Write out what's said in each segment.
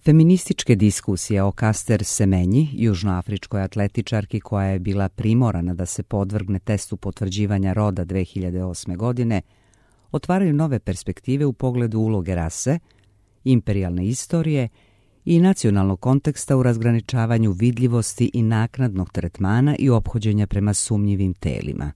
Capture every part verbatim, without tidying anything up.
Feminističke diskusije o Caster Semenyi, južnoafričkoj atletičarki koja je bila primorana da se podvrgne testu potvrđivanja roda dve hiljade osme. godine, otvaraju nove perspektive u pogledu uloge rase, imperijalne istorije i nacionalnog konteksta u razgraničavanju vidljivosti i naknadnog tretmana i ophođenja prema sumnjivim telima.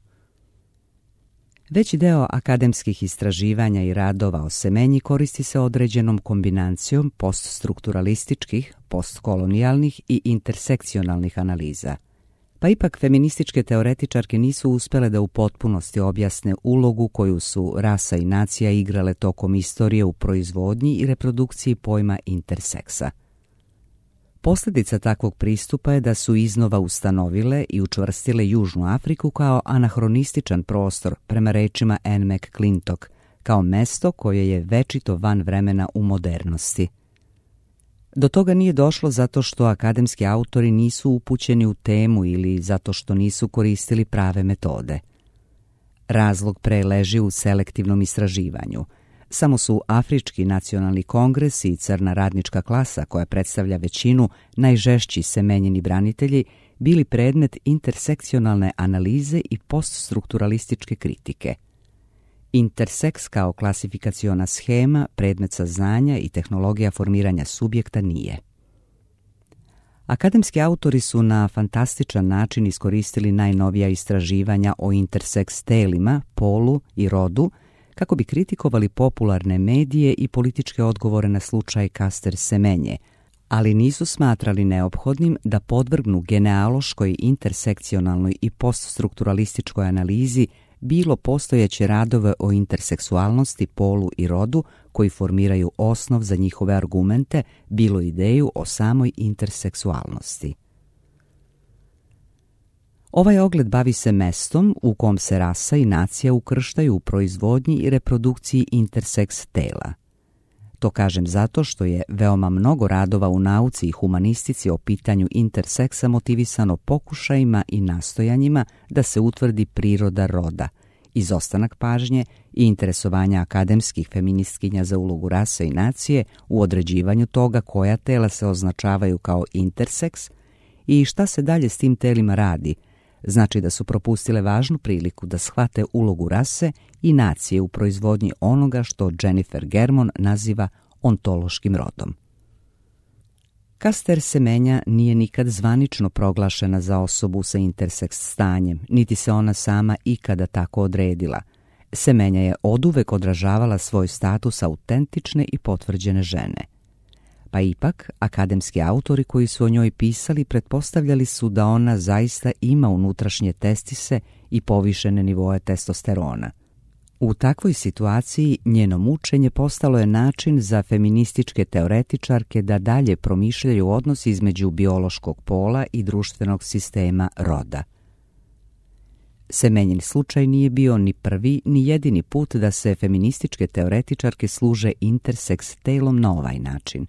Veći deo akademskih istraživanja i radova o Semenyi koristi se određenom kombinacijom poststrukturalističkih, postkolonijalnih i intersekcionalnih analiza. Pa ipak feminističke teoretičarke nisu uspele da u potpunosti objasne ulogu koju su rasa i nacija igrale tokom istorije u proizvodnji i reprodukciji pojma interseksa. Posljedica takvog pristupa je da su iznova ustanovile i učvrstile Južnu Afriku kao anahronističan prostor, prema rečima Anne McClintock, kao mesto koje je večito van vremena u modernosti. Do toga nije došlo zato što akademski autori nisu upućeni u temu ili zato što nisu koristili prave metode. Razlog pre leži u selektivnom istraživanju. Samo su Afrički nacionalni kongres i crna radnička klasa, koja predstavlja većinu najžešći Semenjini branitelji, bili predmet intersekcionalne analize i poststrukturalističke kritike. Interseks kao klasifikaciona schema, predmet saznanja i tehnologija formiranja subjekta nije. Akademski autori su na fantastičan način iskoristili najnovija istraživanja o interseks telima, polu i rodu, kako bi kritikovali popularne medije i političke odgovore na slučaj Caster Semenye, ali nisu smatrali neophodnim da podvrgnu genealoškoj, intersekcionalnoj i poststrukturalističkoj analizi bilo postojeće radove o interseksualnosti, polu i rodu koji formiraju osnov za njihove argumente, bilo ideju o samoj interseksualnosti. Ovaj ogled bavi se mestom u kom se rasa i nacija ukrštaju u proizvodnji i reprodukciji interseks tela. To kažem zato što je veoma mnogo radova u nauci i humanistici o pitanju interseksa motivisano pokušajima i nastojanjima da se utvrdi priroda roda, izostanak pažnje i interesovanja akademskih feministkinja za ulogu rase i nacije u određivanju toga koja tela se označavaju kao interseks i šta se dalje s tim telima radi. Znači da su propustile važnu priliku da shvate ulogu rase i nacije u proizvodnji onoga što Jennifer Germon naziva ontološkim rodom. Caster Semenya nije nikad zvanično proglašena za osobu sa interseks stanjem, niti se ona sama ikada tako odredila. Semenya je oduvek odražavala svoj status autentične i potvrđene žene. Pa ipak, akademski autori koji su o njoj pisali pretpostavljali su da ona zaista ima unutrašnje testise i povišene nivoe testosterona. U takvoj situaciji njeno mučenje postalo je način za feminističke teoretičarke da dalje promišljaju odnos između biološkog pola i društvenog sistema roda. Semenjin slučaj nije bio ni prvi ni jedini put da se feminističke teoretičarke služe interseks telom na ovaj način.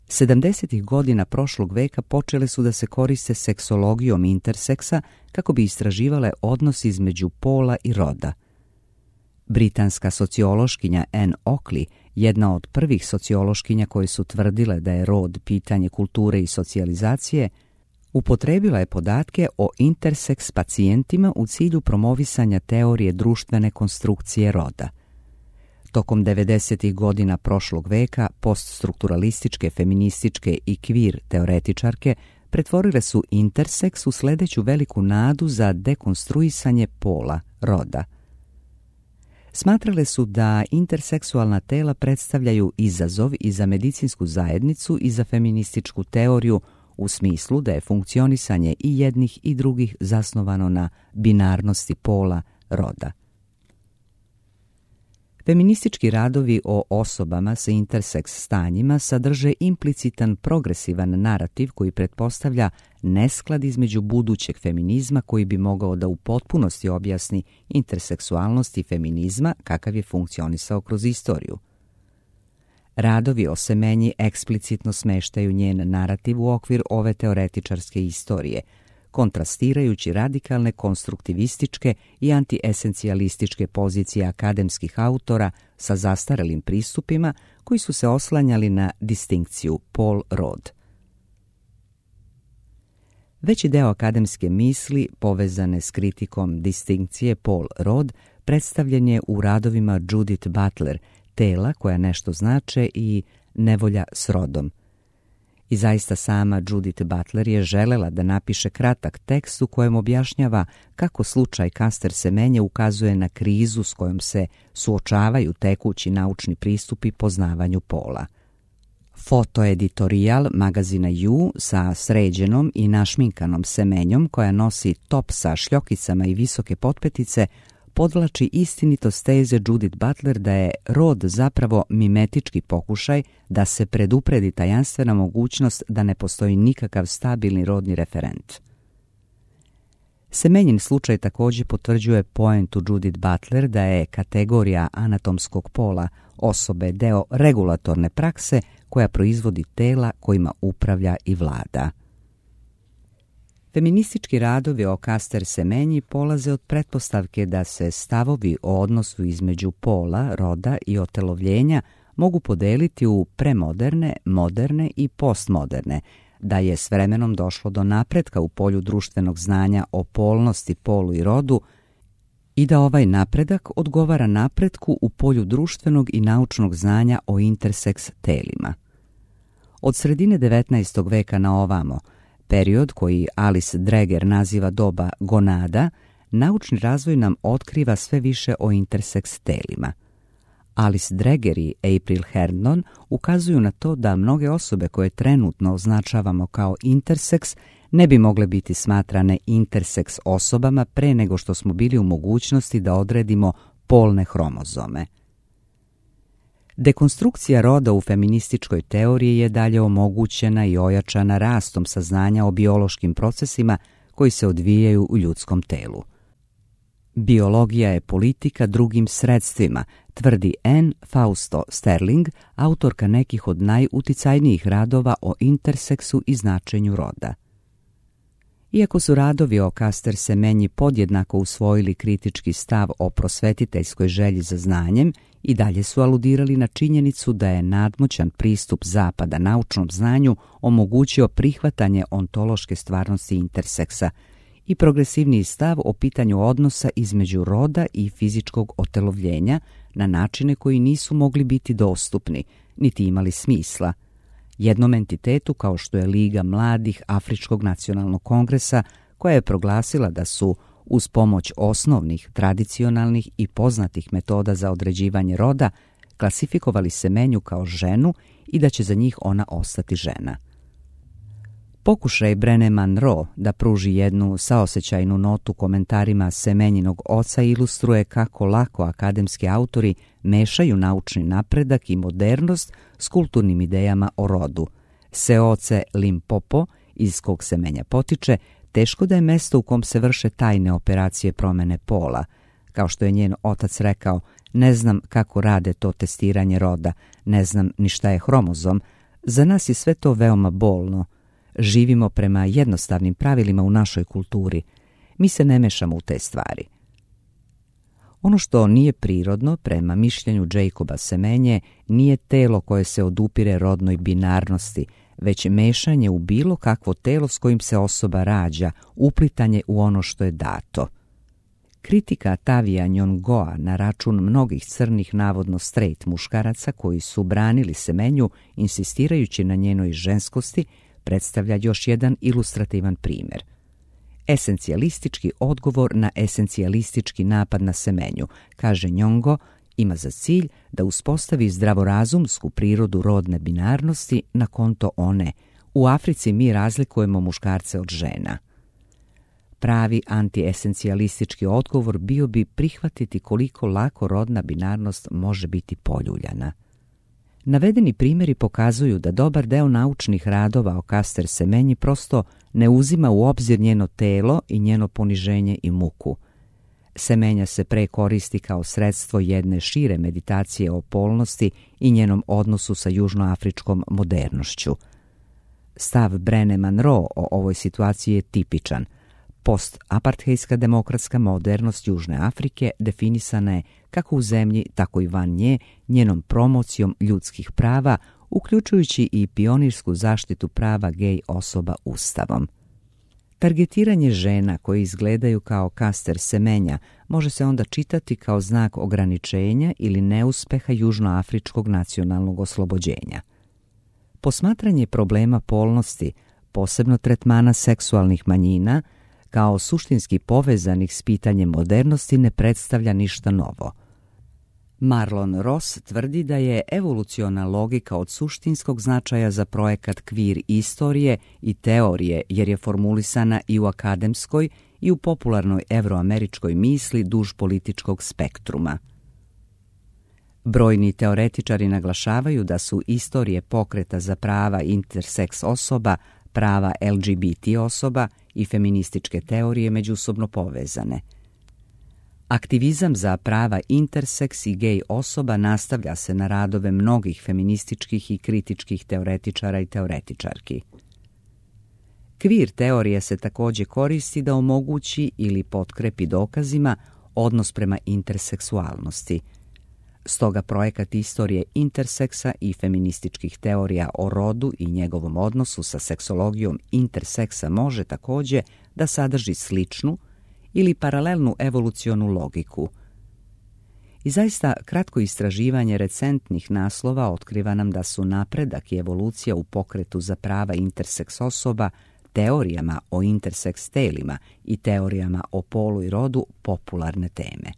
sedamdesetih godina prošlog veka počele su da se koriste seksologijom interseksa kako bi istraživale odnos između pola i roda. Britanska sociološkinja Anne Oakley, jedna od prvih sociološkinja koje su tvrdile da je rod pitanje kulture i socijalizacije, upotrebila je podatke o interseks pacijentima u cilju promovisanja teorije društvene konstrukcije roda. Tokom devedesetih godina prošlog veka poststrukturalističke, feminističke i kvir teoretičarke pretvorile su interseks u sledeću veliku nadu za dekonstruisanje pola, roda. Smatrale su da interseksualna tela predstavljaju izazov i za medicinsku zajednicu i za feminističku teoriju u smislu da je funkcionisanje i jednih i drugih zasnovano na binarnosti pola, roda. Feministički radovi o osobama sa interseks stanjima sadrže implicitan progresivan narativ koji pretpostavlja nesklad između budućeg feminizma koji bi mogao da u potpunosti objasni interseksualnost i feminizma kakav je funkcionisao kroz istoriju. Radovi o Semenyi eksplicitno smeštaju njen narativ u okvir ove teoretičarske istorije, kontrastirajući radikalne konstruktivističke i antiesencijalističke pozicije akademskih autora sa zastarelim pristupima koji su se oslanjali na distinkciju pol-rod. Veći deo akademske misli povezane s kritikom distinkcije pol-rod predstavljen je u radovima Judith Butler, Tela koja nešto znače i Nevolja s rodom. I zaista sama Judith Butler je želela da napiše kratak tekst u kojem objašnjava kako slučaj Caster Semenya ukazuje na krizu s kojom se suočavaju tekući naučni pristupi poznavanju pola. Fotoeditorijal magazina You sa sređenom i našminkanom Semenjom koja nosi top sa šljokicama i visoke potpetice podvlači istinitost teze Judith Butler da je rod zapravo mimetički pokušaj da se predupredi tajanstvena mogućnost da ne postoji nikakav stabilni rodni referent. Semenjin slučaj također potvrđuje poentu Judith Butler da je kategorija anatomskog pola osobe deo regulatorne prakse koja proizvodi tela kojima upravlja i vlada. Feministički radovi o Caster Semenyi polaze od pretpostavke da se stavovi o odnosu između pola, roda i otelovljenja mogu podeliti u premoderne, moderne i postmoderne, da je s vremenom došlo do napretka u polju društvenog znanja o polnosti, polu i rodu i da ovaj napredak odgovara napretku u polju društvenog i naučnog znanja o interseks telima. Od sredine devetnaestog veka na ovamo, period koji Alice Dreger naziva doba gonada, naučni razvoj nam otkriva sve više o interseks telima. Alice Dreger i April Herndon ukazuju na to da mnoge osobe koje trenutno označavamo kao interseks ne bi mogle biti smatrane interseks osobama pre nego što smo bili u mogućnosti da odredimo polne hromozome. Dekonstrukcija roda u feminističkoj teoriji je dalje omogućena i ojačana rastom saznanja o biološkim procesima koji se odvijaju u ljudskom telu. Biologija je politika drugim sredstvima, tvrdi Anne Fausto Sterling, autorka nekih od najuticajnijih radova o interseksu i značenju roda. Iako su radovi o Caster Semenyi podjednako usvojili kritički stav o prosvetiteljskoj želji za znanjem, i dalje su aludirali na činjenicu da je nadmoćan pristup Zapada naučnom znanju omogućio prihvatanje ontološke stvarnosti interseksa i progresivniji stav o pitanju odnosa između roda i fizičkog otelovljenja na načine koji nisu mogli biti dostupni, niti imali smisla. Jednom entitetu kao što je Liga mladih Afričkog nacionalnog kongresa, koja je proglasila da su uz pomoć osnovnih, tradicionalnih i poznatih metoda za određivanje roda klasifikovali Semenju kao ženu i da će za njih ona ostati žena. Pokušaj Brené Monroe da pruži jednu saosećajnu notu komentarima Semenjinog oca ilustruje kako lako akademski autori mešaju naučni napredak i modernost s kulturnim idejama o rodu. Seoce Limpopo, iz kog Semenja potiče, teško da je mesto u kom se vrše tajne operacije promene pola. Kao što je njen otac rekao, ne znam kako rade to testiranje roda, ne znam ni šta je hromozom, za nas je sve to veoma bolno. Živimo prema jednostavnim pravilima u našoj kulturi. Mi se ne mešamo u te stvari. Ono što nije prirodno, prema mišljenju Jacoba Semenje, nije telo koje se odupire rodnoj binarnosti, već mešanje u bilo kakvo telo s kojim se osoba rađa, uplitanje u ono što je dato. Kritika Tavija Njongoa na račun mnogih crnih navodno straight muškaraca koji su branili Semenju insistirajući na njenoj ženskosti, predstavlja još jedan ilustrativan primjer. Esencijalistički odgovor na esencijalistički napad na Semenju, kaže Njongo, ima za cilj da uspostavi zdravorazumsku prirodu rodne binarnosti na konto one. U Africi mi razlikujemo muškarce od žena. Pravi antiesencijalistički odgovor bio bi prihvatiti koliko lako rodna binarnost može biti poljuljana. Navedeni primjeri pokazuju da dobar deo naučnih radova o Caster Semenyi prosto ne uzima u obzir njeno telo i njeno poniženje i muku. Semenja se pre koristi kao sredstvo jedne šire meditacije o polnosti i njenom odnosu sa južnoafričkom modernošću. Stav Brené Monroe o ovoj situaciji je tipičan. Post-apartheidska demokratska modernost Južne Afrike definisana je kako u zemlji, tako i van nje, njenom promocijom ljudskih prava, uključujući i pionirsku zaštitu prava gej osoba ustavom. Targetiranje žena koje izgledaju kao kaster semenja može se onda čitati kao znak ograničenja ili neuspeha južnoafričkog nacionalnog oslobođenja. Posmatranje problema polnosti, posebno tretmana seksualnih manjina, kao suštinski povezanih s pitanjem modernosti ne predstavlja ništa novo. Marlon Ross tvrdi da je evoluciona logika od suštinskog značaja za projekat kvir istorije i teorije jer je formulisana i u akademskoj i u popularnoj evroameričkoj misli duž političkog spektruma. Brojni teoretičari naglašavaju da su istorije pokreta za prava interseks osoba, prava L G B T osoba i feminističke teorije međusobno povezane. Aktivizam za prava interseks i gej osoba nastavlja se na radove mnogih feminističkih i kritičkih teoretičara i teoretičarki. Kvir teorija se također koristi da omogući ili potkrepi dokazima odnos prema interseksualnosti. Stoga projekat istorije interseksa i feminističkih teorija o rodu i njegovom odnosu sa seksologijom interseksa može također da sadrži sličnu ili paralelnu evolucionu logiku. I zaista kratko istraživanje recentnih naslova otkriva nam da su napredak i evolucija u pokretu za prava interseks osoba, teorijama o interseks telima i teorijama o polu i rodu popularne teme.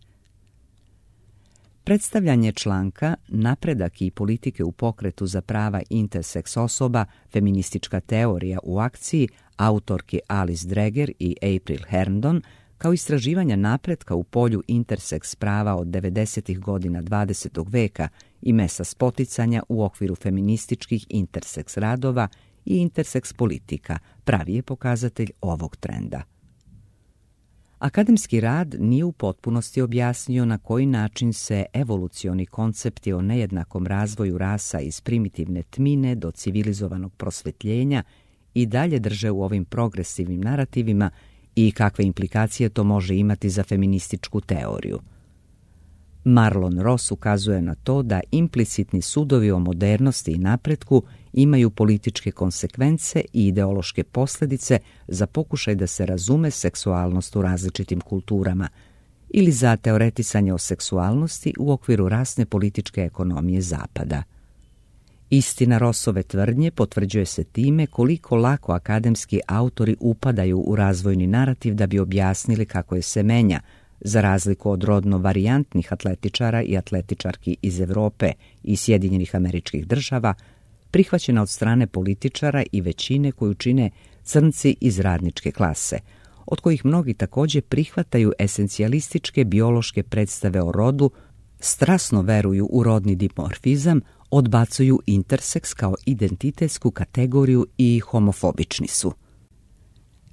Predstavljanje članka Napredak i politike u pokretu za prava interseks osoba, feministička teorija u akciji autorki Alice Dreger i April Herndon, kao istraživanja napretka u polju interseks prava od devedesetih godina dvadesetog veka i mesa spoticanja u okviru feminističkih interseks radova i interseks politika, pravi je pokazatelj ovog trenda. Akademski rad nije u potpunosti objasnio na koji način se evolucioni koncepti o nejednakom razvoju rasa iz primitivne tmine do civilizovanog prosvetljenja i dalje drže u ovim progresivnim narativima i kakve implikacije to može imati za feminističku teoriju. Marlon Ross ukazuje na to da implicitni sudovi o modernosti i napretku imaju političke konsekvence i ideološke posljedice za pokušaj da se razume seksualnost u različitim kulturama ili za teoretisanje o seksualnosti u okviru rasne političke ekonomije Zapada. Istina Rossove tvrdnje potvrđuje se time koliko lako akademski autori upadaju u razvojni narativ da bi objasnili kako je semenja, za razliku od rodno varijantnih atletičara i atletičarki iz Europe i Sjedinjenih Američkih Država, prihvaćena od strane političara i većine koju čine crnci iz radničke klase, od kojih mnogi također prihvataju esencijalističke biološke predstave o rodu, strasno veruju u rodni dimorfizam, odbacuju interseks kao identitetsku kategoriju i homofobični su.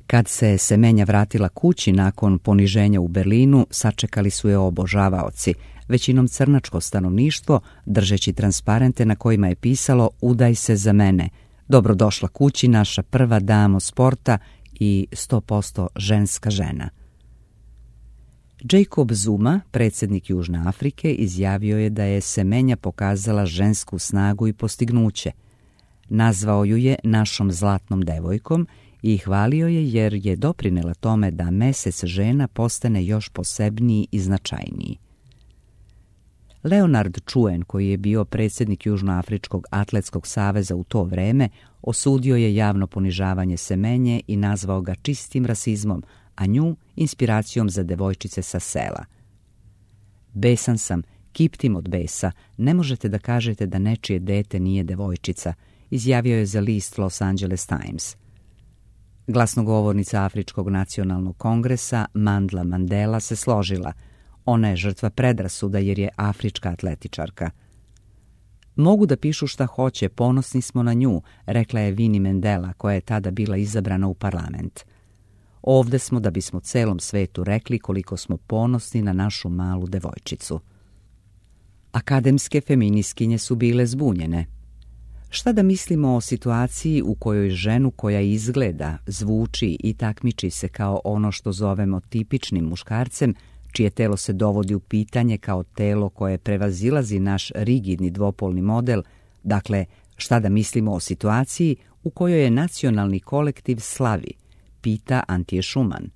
Kad se semenja vratila kući nakon poniženja u Berlinu, sačekali su je obožavaoci, većinom crnačko stanovništvo, držeći transparente na kojima je pisalo "Udaj se za mene", "Dobrodošla kući, naša prva damo sporta" i sto posto ženska žena. Jacob Zuma, predsjednik Južne Afrike, izjavio je da je semenja pokazala žensku snagu i postignuće. Nazvao ju je našom zlatnom devojkom i hvalio je jer je doprinela tome da mesec žena postane još posebniji i značajniji. Leonard Chuen, koji je bio predsjednik Južnoafričkog atletskog saveza u to vreme, osudio je javno ponižavanje semenje i nazvao ga čistim rasizmom, a nju inspiracijom za devojčice sa sela. "Besan sam, kiptim od besa, ne možete da kažete da nečije dete nije devojčica", izjavio je za list Los Angeles Times. Glasnogovornica Afričkog nacionalnog kongresa Mandla Mandela se složila. Ona je žrtva predrasuda jer je afrička atletičarka. "Mogu da pišu šta hoće, ponosni smo na nju", rekla je Winnie Mandela, koja je tada bila izabrana u parlament. "Ovde smo da bismo celom svetu rekli koliko smo ponosni na našu malu devojčicu." Akademske feministkinje su bile zbunjene. Šta da mislimo o situaciji u kojoj ženu koja izgleda, zvuči i takmiči se kao ono što zovemo tipičnim muškarcem, čije telo se dovodi u pitanje kao telo koje prevazilazi naš rigidni dvopolni model, dakle, šta da mislimo o situaciji u kojoj je nacionalni kolektiv slavi, pita Antje Schumann.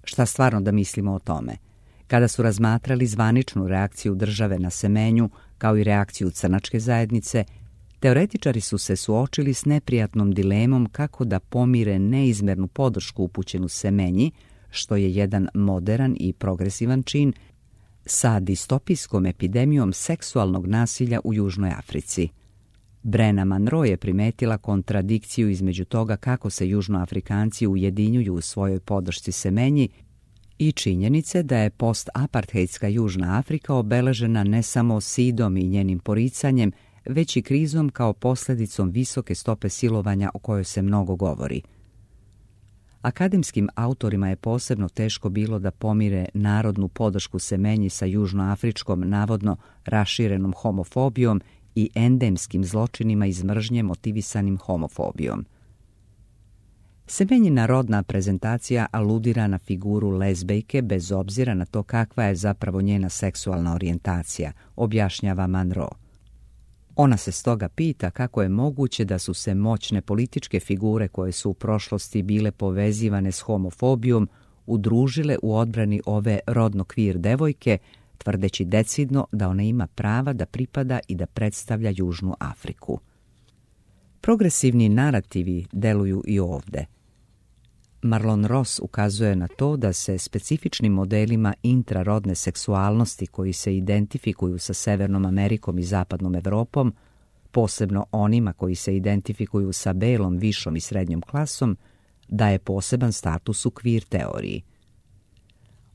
Šta stvarno da mislimo o tome? Kada su razmatrali zvaničnu reakciju države na Semenju, kao i reakciju crnačke zajednice, teoretičari su se suočili s neprijatnom dilemom kako da pomire neizmernu podršku upućenu Semenji, što je jedan moderan i progresivan čin, sa distopijskom epidemijom seksualnog nasilja u Južnoj Africi. Brena Monroe je primetila kontradikciju između toga kako se Južnoafrikanci ujedinjuju u svojoj podršci Semenji i činjenice da je post-apartheidska Južna Afrika obeležena ne samo sidom i njenim poricanjem, već i krizom kao posljedicom visoke stope silovanja o kojoj se mnogo govori. Akademskim autorima je posebno teško bilo da pomire narodnu podršku Semenji sa južnoafričkom navodno raširenom homofobijom i endemskim zločinima iz mržnje motivisanim homofobijom. Semenjina rodna prezentacija aludira na figuru lezbejke bez obzira na to kakva je zapravo njena seksualna orijentacija, objašnjava Monroe. Ona se stoga pita kako je moguće da su se moćne političke figure koje su u prošlosti bile povezivane s homofobijom udružile u odbrani ove rodno kvir devojke, tvrdeći decidno da ona ima prava da pripada i da predstavlja Južnu Afriku. Progresivni narativi deluju i ovde. Marlon Ross ukazuje na to da se specifičnim modelima intrarodne seksualnosti koji se identifikuju sa Severnom Amerikom i Zapadnom Evropom, posebno onima koji se identifikuju sa belom, višom i srednjom klasom, daje poseban status u kvir teoriji.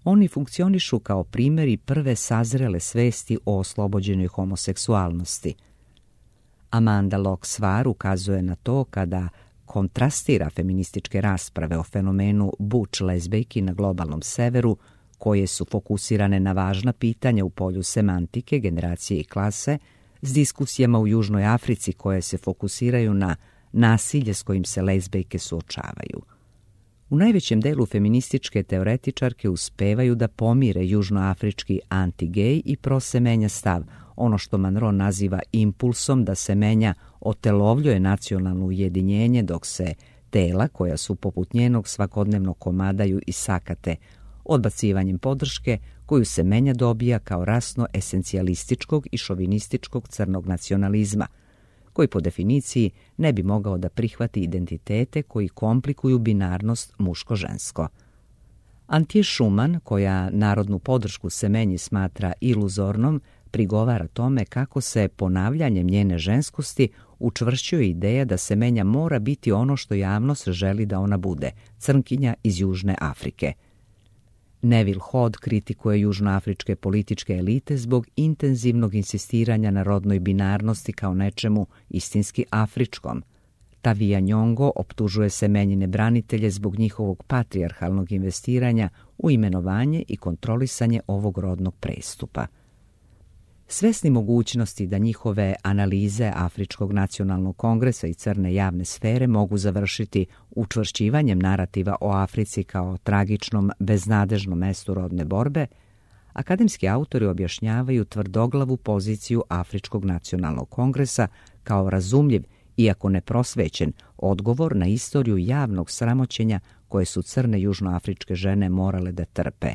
Oni funkcionišu kao primjeri prve sazrele svesti o oslobođenoj homoseksualnosti. Amanda Locke-Swar ukazuje na to kada kontrastira feminističke rasprave o fenomenu butch lezbejki na globalnom severu, koje su fokusirane na važna pitanja u polju semantike, generacije i klase, s diskusijama u Južnoj Africi koje se fokusiraju na nasilje s kojim se lezbejke suočavaju. U najvećem delu feminističke teoretičarke uspevaju da pomire južnoafrički anti-gej i prosemenja stav, ono što Monroe naziva impulsom da Semenja otelovljuje nacionalno ujedinjenje, dok se tela koja su poput njenog svakodnevno komadaju i sakate, odbacivanjem podrške koju Semenja dobija kao rasno esencijalističkog i šovinističkog crnog nacionalizma, koji po definiciji ne bi mogao da prihvati identitete koji komplikuju binarnost muško-žensko. Antje Schumann, koja narodnu podršku Semenji smatra iluzornom, prigovara tome kako se ponavljanjem njene ženskosti učvršćuje ideja da Semenja mora biti ono što javnost želi da ona bude, crnkinja iz Južne Afrike. Neville Hodd kritikuje južnoafričke političke elite zbog intenzivnog insistiranja na rodnoj binarnosti kao nečemu istinski afričkom. Tavija Nyong'o optužuje Semenjine branitelje zbog njihovog patrijarhalnog investiranja u imenovanje i kontrolisanje ovog rodnog prestupa. Svesni mogućnosti da njihove analize Afričkog nacionalnog kongresa i crne javne sfere mogu završiti učvršćivanjem narativa o Africi kao tragičnom, beznadežnom mestu rodne borbe, akademski autori objašnjavaju tvrdoglavu poziciju Afričkog nacionalnog kongresa kao razumljiv, iako neprosvećen, odgovor na istoriju javnog sramoćenja koje su crne južnoafričke žene morale da trpe.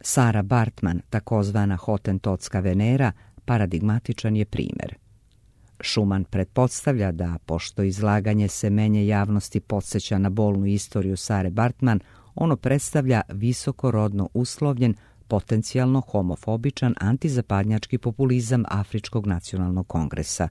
Sarah Baartman, takozvana hotentotska Venera, paradigmatičan je primjer. Schumann pretpostavlja da, pošto izlaganje Semenje javnosti podsjeća na bolnu istoriju Sare Baartman, ono predstavlja visokorodno uslovljen, potencijalno homofobičan antizapadnjački populizam Afričkog nacionalnog kongresa.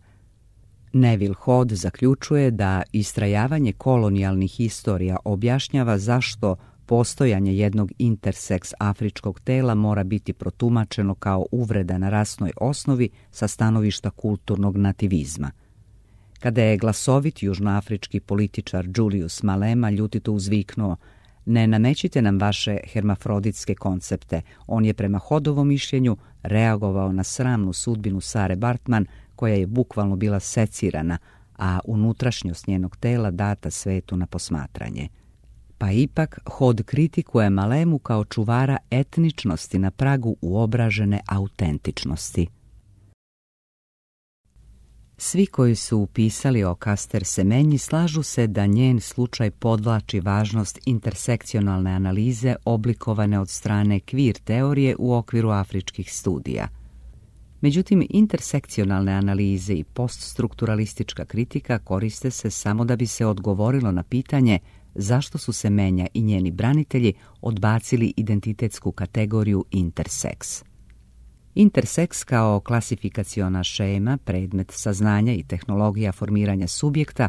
Neville Hodd zaključuje da istrajavanje kolonijalnih istorija objašnjava zašto postojanje jednog interseks afričkog tela mora biti protumačeno kao uvreda na rasnoj osnovi sa stanovišta kulturnog nativizma. Kada je glasovit južnoafrički političar Julius Malema ljutito uzviknuo: "Ne namećite nam vaše hermafroditske koncepte", on je prema Hoddovom mišljenju reagovao na sramnu sudbinu Sare Baartman, koja je bukvalno bila secirana, a unutrašnjost njenog tela data svetu na posmatranje. Pa ipak Hod kritikuje Malemu kao čuvara etničnosti na pragu uobražene autentičnosti. Svi koji su upisali o Caster Semenyi slažu se da njen slučaj podvlači važnost intersekcionalne analize oblikovane od strane queer teorije u okviru afričkih studija. Međutim, intersekcionalne analize i poststrukturalistička kritika koriste se samo da bi se odgovorilo na pitanje zašto su Semenja i njeni branitelji odbacili identitetsku kategoriju interseks. Interseks kao klasifikaciona šema, predmet saznanja i tehnologija formiranja subjekta,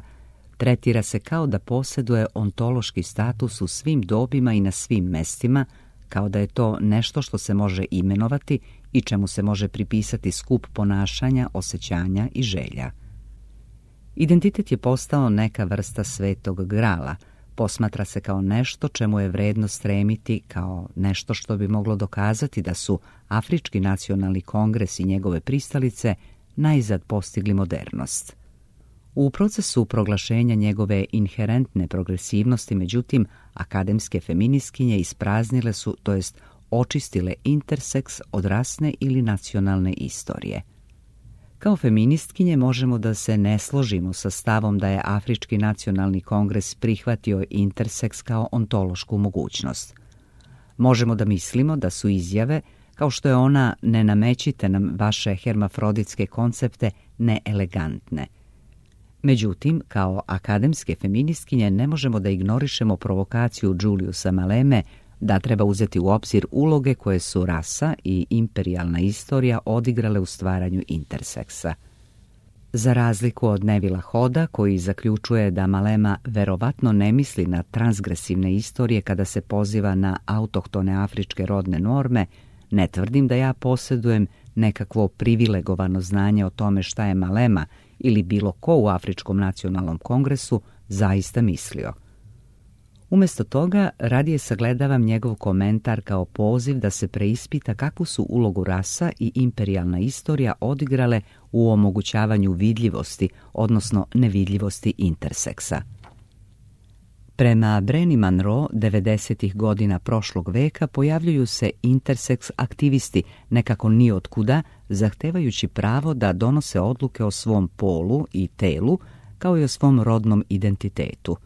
tretira se kao da posjeduje ontološki status u svim dobima i na svim mestima, kao da je to nešto što se može imenovati i čemu se može pripisati skup ponašanja, osjećanja i želja. Identitet je postao neka vrsta svetog grala, posmatra se kao nešto čemu je vredno stremiti, kao nešto što bi moglo dokazati da su Afrički nacionalni kongres i njegove pristalice najzad postigli modernost. U procesu proglašenja njegove inherentne progresivnosti, međutim, akademske feministkinje ispraznile su, to jest očistile interseks od rasne ili nacionalne istorije. Kao feministkinje možemo da se ne složimo sa stavom da je Afrički nacionalni kongres prihvatio interseks kao ontološku mogućnost. Možemo da mislimo da su izjave, kao što je ona "ne namećite nam vaše hermafroditske koncepte", neelegantne. Međutim, kao akademske feministkinje ne možemo da ignorišemo provokaciju Juliusa Maleme da treba uzeti u obzir uloge koje su rasa i imperijalna istorija odigrale u stvaranju interseksa. Za razliku od Nevila Hoda, koji zaključuje da Malema verovatno ne misli na transgresivne istorije kada se poziva na autohtone afričke rodne norme, ne tvrdim da ja posjedujem nekakvo privilegovano znanje o tome šta je Malema ili bilo ko u Afričkom nacionalnom kongresu zaista mislio. Umjesto toga, radije sagledavam njegov komentar kao poziv da se preispita kakvu su ulogu rasa i imperijalna istorija odigrale u omogućavanju vidljivosti, odnosno nevidljivosti interseksa. Prema Brené Monroe, devedesetih godina prošlog veka pojavljuju se interseks aktivisti nekako ni otkuda, zahtevajući pravo da donose odluke o svom polu i telu, kao i o svom rodnom identitetu.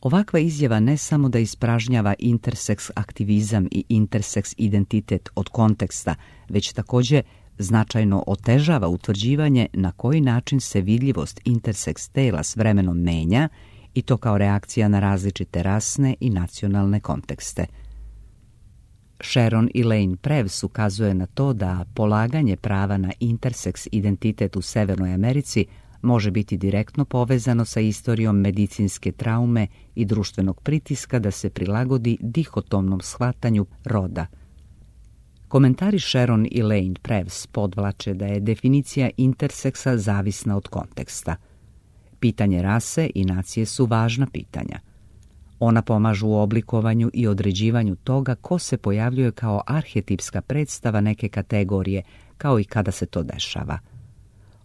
Ovakva izjava ne samo da ispražnjava interseks aktivizam i interseks identitet od konteksta, već također značajno otežava utvrđivanje na koji način se vidljivost interseks tela s vremenom menja, i to kao reakcija na različite rasne i nacionalne kontekste. Sharon Elaine Previs ukazuje na to da polaganje prava na interseks identitet u Severnoj Americi može biti direktno povezano sa istorijom medicinske traume i društvenog pritiska da se prilagodi dihotomnom shvatanju roda. Komentari Sharon Elaine Previs podvlače da je definicija interseksa zavisna od konteksta. Pitanje rase i nacije su važna pitanja. Ona pomažu u oblikovanju i određivanju toga ko se pojavljuje kao arhetipska predstava neke kategorije, kao i kada se to dešava.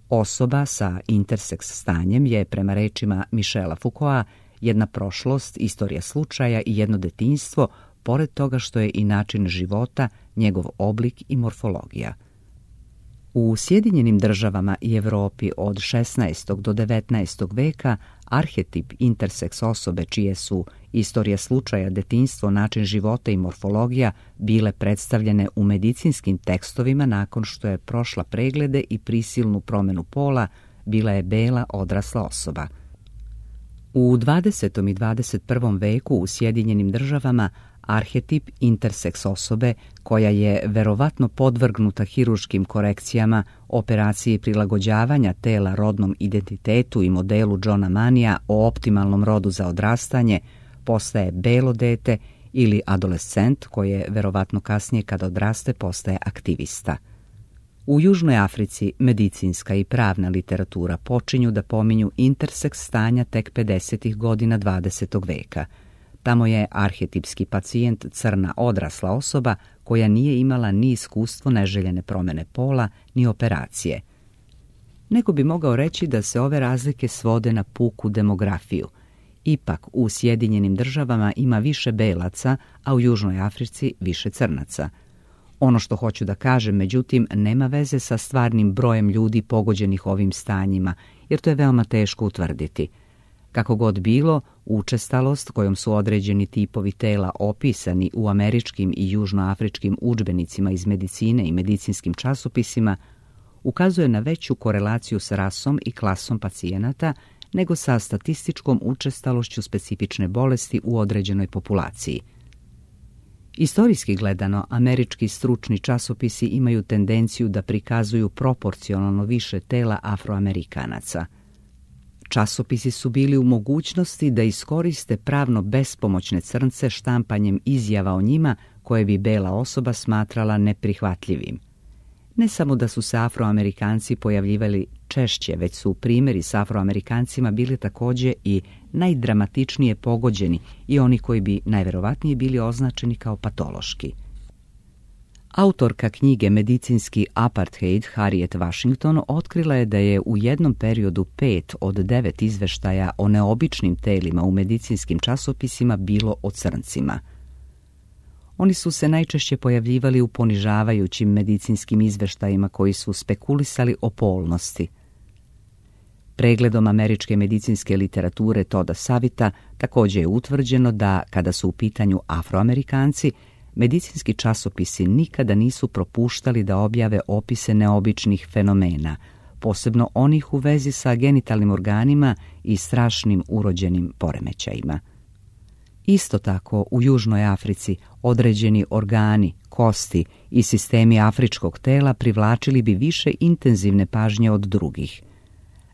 Osoba sa interseks stanjem je, prema rečima Michela Foucaulta, jedna prošlost, istorija slučaja i jedno detinjstvo, pored toga što je i način života, njegov oblik i morfologija. U Sjedinjenim državama i Europi od šesnaestog do devetnaestog veka arhetip interseks osobe čije su istorija slučaja, detinjstvo, način života i morfologija bile predstavljene u medicinskim tekstovima nakon što je prošla preglede i prisilnu promjenu pola, bila je bela odrasla osoba. U dvadesetom i dvadeset prvom veku u Sjedinjenim državama arhetip interseks osobe, koja je verovatno podvrgnuta hiruškim korekcijama, operaciji prilagođavanja tela rodnom identitetu i modelu Johna Manija o optimalnom rodu za odrastanje, postaje belo dete ili adolescent koje verovatno kasnije kad odraste postaje aktivista. U Južnoj Africi medicinska i pravna literatura počinju da pominju interseks stanja tek pedesetih godina dvadesetog veka. Tamo je arhetipski pacijent crna odrasla osoba koja nije imala ni iskustvo neželjene promjene pola, ni operacije. Neko bi mogao reći da se ove razlike svode na puku demografiju. Ipak u Sjedinjenim državama ima više belaca, a u Južnoj Africi više crnaca. Ono što hoću da kažem, međutim, nema veze sa stvarnim brojem ljudi pogođenih ovim stanjima, jer to je veoma teško utvrditi. Kako god bilo, učestalost kojom su određeni tipovi tela opisani u američkim i južnoafričkim udžbenicima iz medicine i medicinskim časopisima ukazuje na veću korelaciju s rasom i klasom pacijenata nego sa statističkom učestalošću specifične bolesti u određenoj populaciji. Istorijski gledano, američki stručni časopisi imaju tendenciju da prikazuju proporcionalno više tela Afroamerikanaca. Časopisi su bili u mogućnosti da iskoriste pravno bespomoćne crnce štampanjem izjava o njima koje bi bela osoba smatrala neprihvatljivim. Ne samo da su se Afroamerikanci pojavljivali češće, već su primjeri s Afroamerikancima bili također i najdramatičnije pogođeni i oni koji bi najverovatnije bili označeni kao patološki. Autorka knjige Medicinski apartheid Harriet Washington otkrila je da je u jednom periodu pet od devet izveštaja o neobičnim telima u medicinskim časopisima bilo o crncima. Oni su se najčešće pojavljivali u ponižavajućim medicinskim izveštajima koji su spekulisali o polnosti. Pregledom američke medicinske literature Toda Savita također je utvrđeno da, kada su u pitanju Afroamerikanci, medicinski časopisi nikada nisu propuštali da objave opise neobičnih fenomena, posebno onih u vezi sa genitalnim organima i strašnim urođenim poremećajima. Isto tako, u Južnoj Africi određeni organi, kosti i sistemi afričkog tela privlačili bi više intenzivne pažnje od drugih.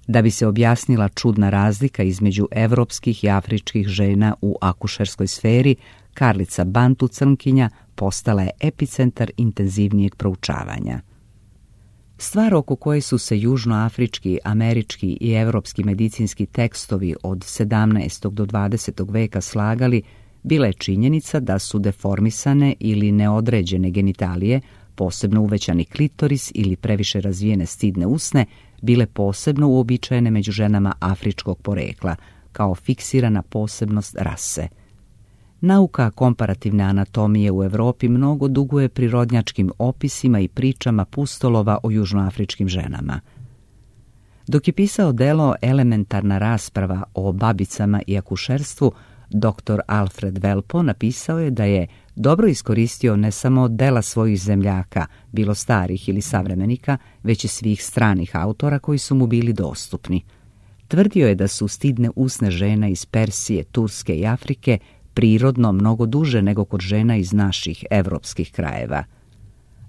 Da bi se objasnila čudna razlika između evropskih i afričkih žena u akušerskoj sferi, Karlica Bantu crnkinja postala je epicentar intenzivnijeg proučavanja. Stvar oko koje su se južnoafrički, američki i evropski medicinski tekstovi od sedamnaestog do dvadesetog veka slagali bila je činjenica da su deformisane ili neodređene genitalije, posebno uvećani klitoris ili previše razvijene stidne usne, bile posebno uobičajene među ženama afričkog porekla, kao fiksirana posebnost rase. Nauka komparativne anatomije u Europi mnogo duguje prirodnjačkim opisima i pričama pustolova o južnoafričkim ženama. Dok je pisao delo Elementarna rasprava o babicama i akušerstvu, doktor Alfred Velpo napisao je da je dobro iskoristio ne samo dela svojih zemljaka, bilo starih ili savremenika, već i svih stranih autora koji su mu bili dostupni. Tvrdio je da su stidne usne žena iz Persije, Turske i Afrike prirodno mnogo duže nego kod žena iz naših evropskih krajeva.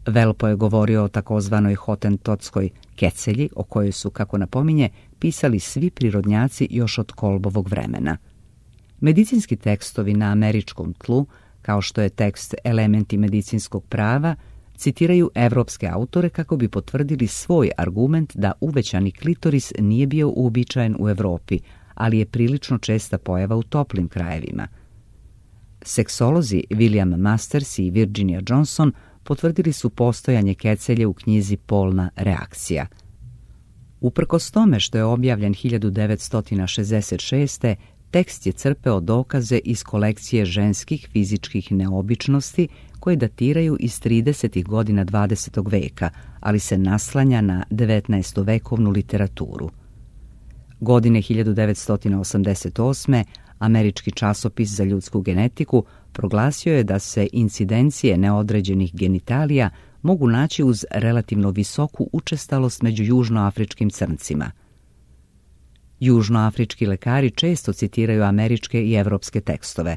Velpo je govorio o takozvanoj hotentotskoj kecelji, o kojoj su, kako napominje, pisali svi prirodnjaci još od Kolbovog vremena. Medicinski tekstovi na američkom tlu, kao što je tekst Elementi medicinskog prava, citiraju evropske autore kako bi potvrdili svoj argument da uvećani klitoris nije bio uobičajen u Evropi, ali je prilično česta pojava u toplim krajevima. Seksolozi William Masters i Virginia Johnson potvrdili su postojanje kecelje u knjizi Polna reakcija. Uprkos tome što je objavljen hiljadu devetsto šezdeset šeste. tekst je crpeo dokaze iz kolekcije ženskih fizičkih neobičnosti koje datiraju iz tridesetih godina dvadesetog veka, ali se naslanja na devetnaestovekovnu literaturu. Godine hiljadu devetsto osamdeset osme. Američki časopis za ljudsku genetiku proglasio je da se incidencije neodređenih genitalija mogu naći uz relativno visoku učestalost među južnoafričkim crncima. Južnoafrički lekari često citiraju američke i evropske tekstove.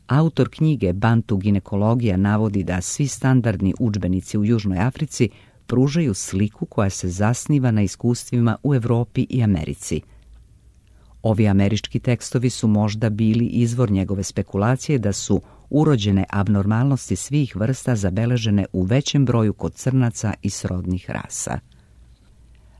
Autor knjige Bantu ginekologija navodi da svi standardni udžbenici u Južnoj Africi pružaju sliku koja se zasniva na iskustvima u Evropi i Americi. Ovi američki tekstovi su možda bili izvor njegove spekulacije da su urođene abnormalnosti svih vrsta zabeležene u većem broju kod crnaca i srodnih rasa.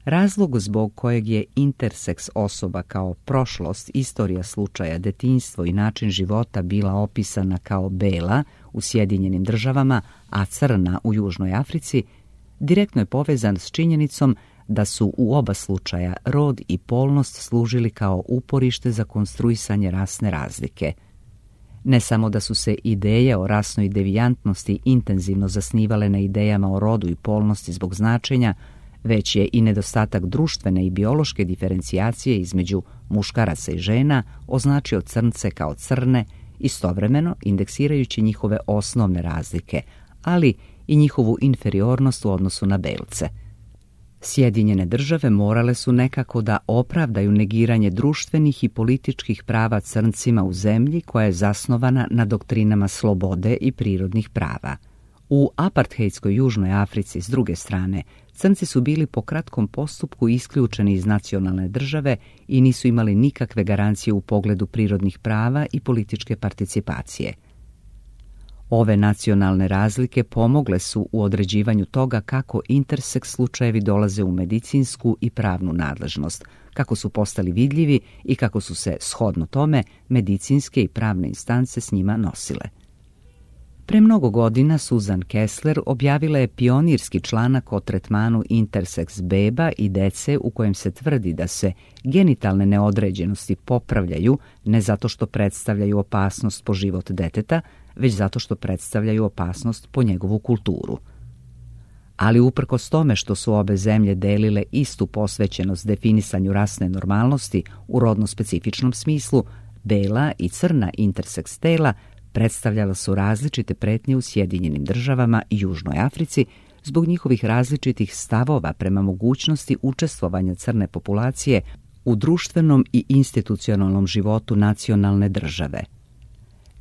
Razlog zbog kojeg je interseks osoba kao prošlost, istorija slučaja, detinjstvo i način života bila opisana kao bela u Sjedinjenim državama, a crna u Južnoj Africi, direktno je povezan s činjenicom da su u oba slučaja rod i polnost služili kao uporište za konstruisanje rasne razlike. Ne samo da su se ideje o rasnoj devijantnosti intenzivno zasnivale na idejama o rodu i polnosti zbog značenja, već je i nedostatak društvene i biološke diferencijacije između muškaraca i žena označio crnce kao crne, istovremeno indeksirajući njihove osnovne razlike, ali i njihovu inferiornost u odnosu na belce. Sjedinjene države morale su nekako da opravdaju negiranje društvenih i političkih prava crncima u zemlji koja je zasnovana na doktrinama slobode i prirodnih prava. U apartheidskoj Južnoj Africi, s druge strane, crnci su bili po kratkom postupku isključeni iz nacionalne države i nisu imali nikakve garancije u pogledu prirodnih prava i političke participacije. Ove nacionalne razlike pomogle su u određivanju toga kako interseks slučajevi dolaze u medicinsku i pravnu nadležnost, kako su postali vidljivi i kako su se, shodno tome, medicinske i pravne instance s njima nosile. Pre mnogo godina Susan Kessler objavila je pionirski članak o tretmanu interseks beba i dece u kojem se tvrdi da se genitalne neodređenosti popravljaju ne zato što predstavljaju opasnost po život deteta, već zato što predstavljaju opasnost po njegovu kulturu. Ali uprkos tome što su obe zemlje delile istu posvećenost definisanju rasne normalnosti u rodno specifičnom smislu, bela i crna interseks tela predstavljala su različite pretnje u Sjedinjenim državama i Južnoj Africi zbog njihovih različitih stavova prema mogućnosti učestvovanja crne populacije u društvenom i institucionalnom životu nacionalne države.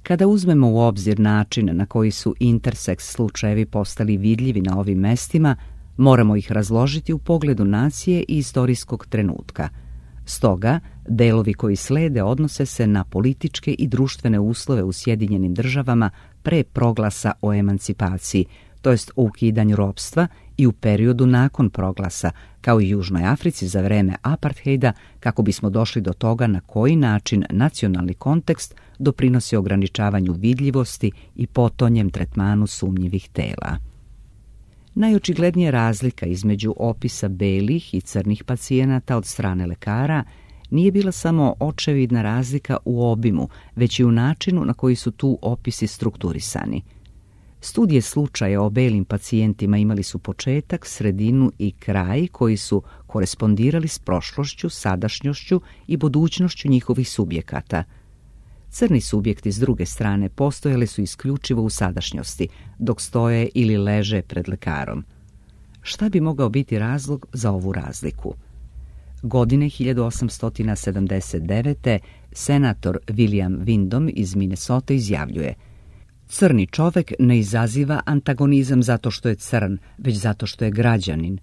Kada uzmemo u obzir način na koji su interseks slučajevi postali vidljivi na ovim mestima, moramo ih razložiti u pogledu nacije i istorijskog trenutka. Stoga, delovi koji slede odnose se na političke i društvene uslove u Sjedinjenim državama pre proglasa o emancipaciji, to jest o ukidanju ropstva, i u periodu nakon proglasa, kao i Južnoj Africi za vreme apartheida, kako bismo došli do toga na koji način nacionalni kontekst doprinosi ograničavanju vidljivosti i potonjem tretmanu sumnjivih tela. Najočiglednija razlika između opisa belih i crnih pacijenata od strane lekara nije bila samo očevidna razlika u obimu, već i u načinu na koji su tu opisi strukturisani. Studije slučaja o belim pacijentima imali su početak, sredinu i kraj koji su korespondirali s prošlošću, sadašnjošću i budućnošću njihovih subjekata. Crni subjekti s druge strane postojali su isključivo u sadašnjosti, dok stoje ili leže pred lekarom. Šta bi mogao biti razlog za ovu razliku? Godine hiljadu osamsto sedamdeset devete. senator William Windom iz Minnesota izjavljuje: crni čovek ne izaziva antagonizam zato što je crn, već zato što je građanin.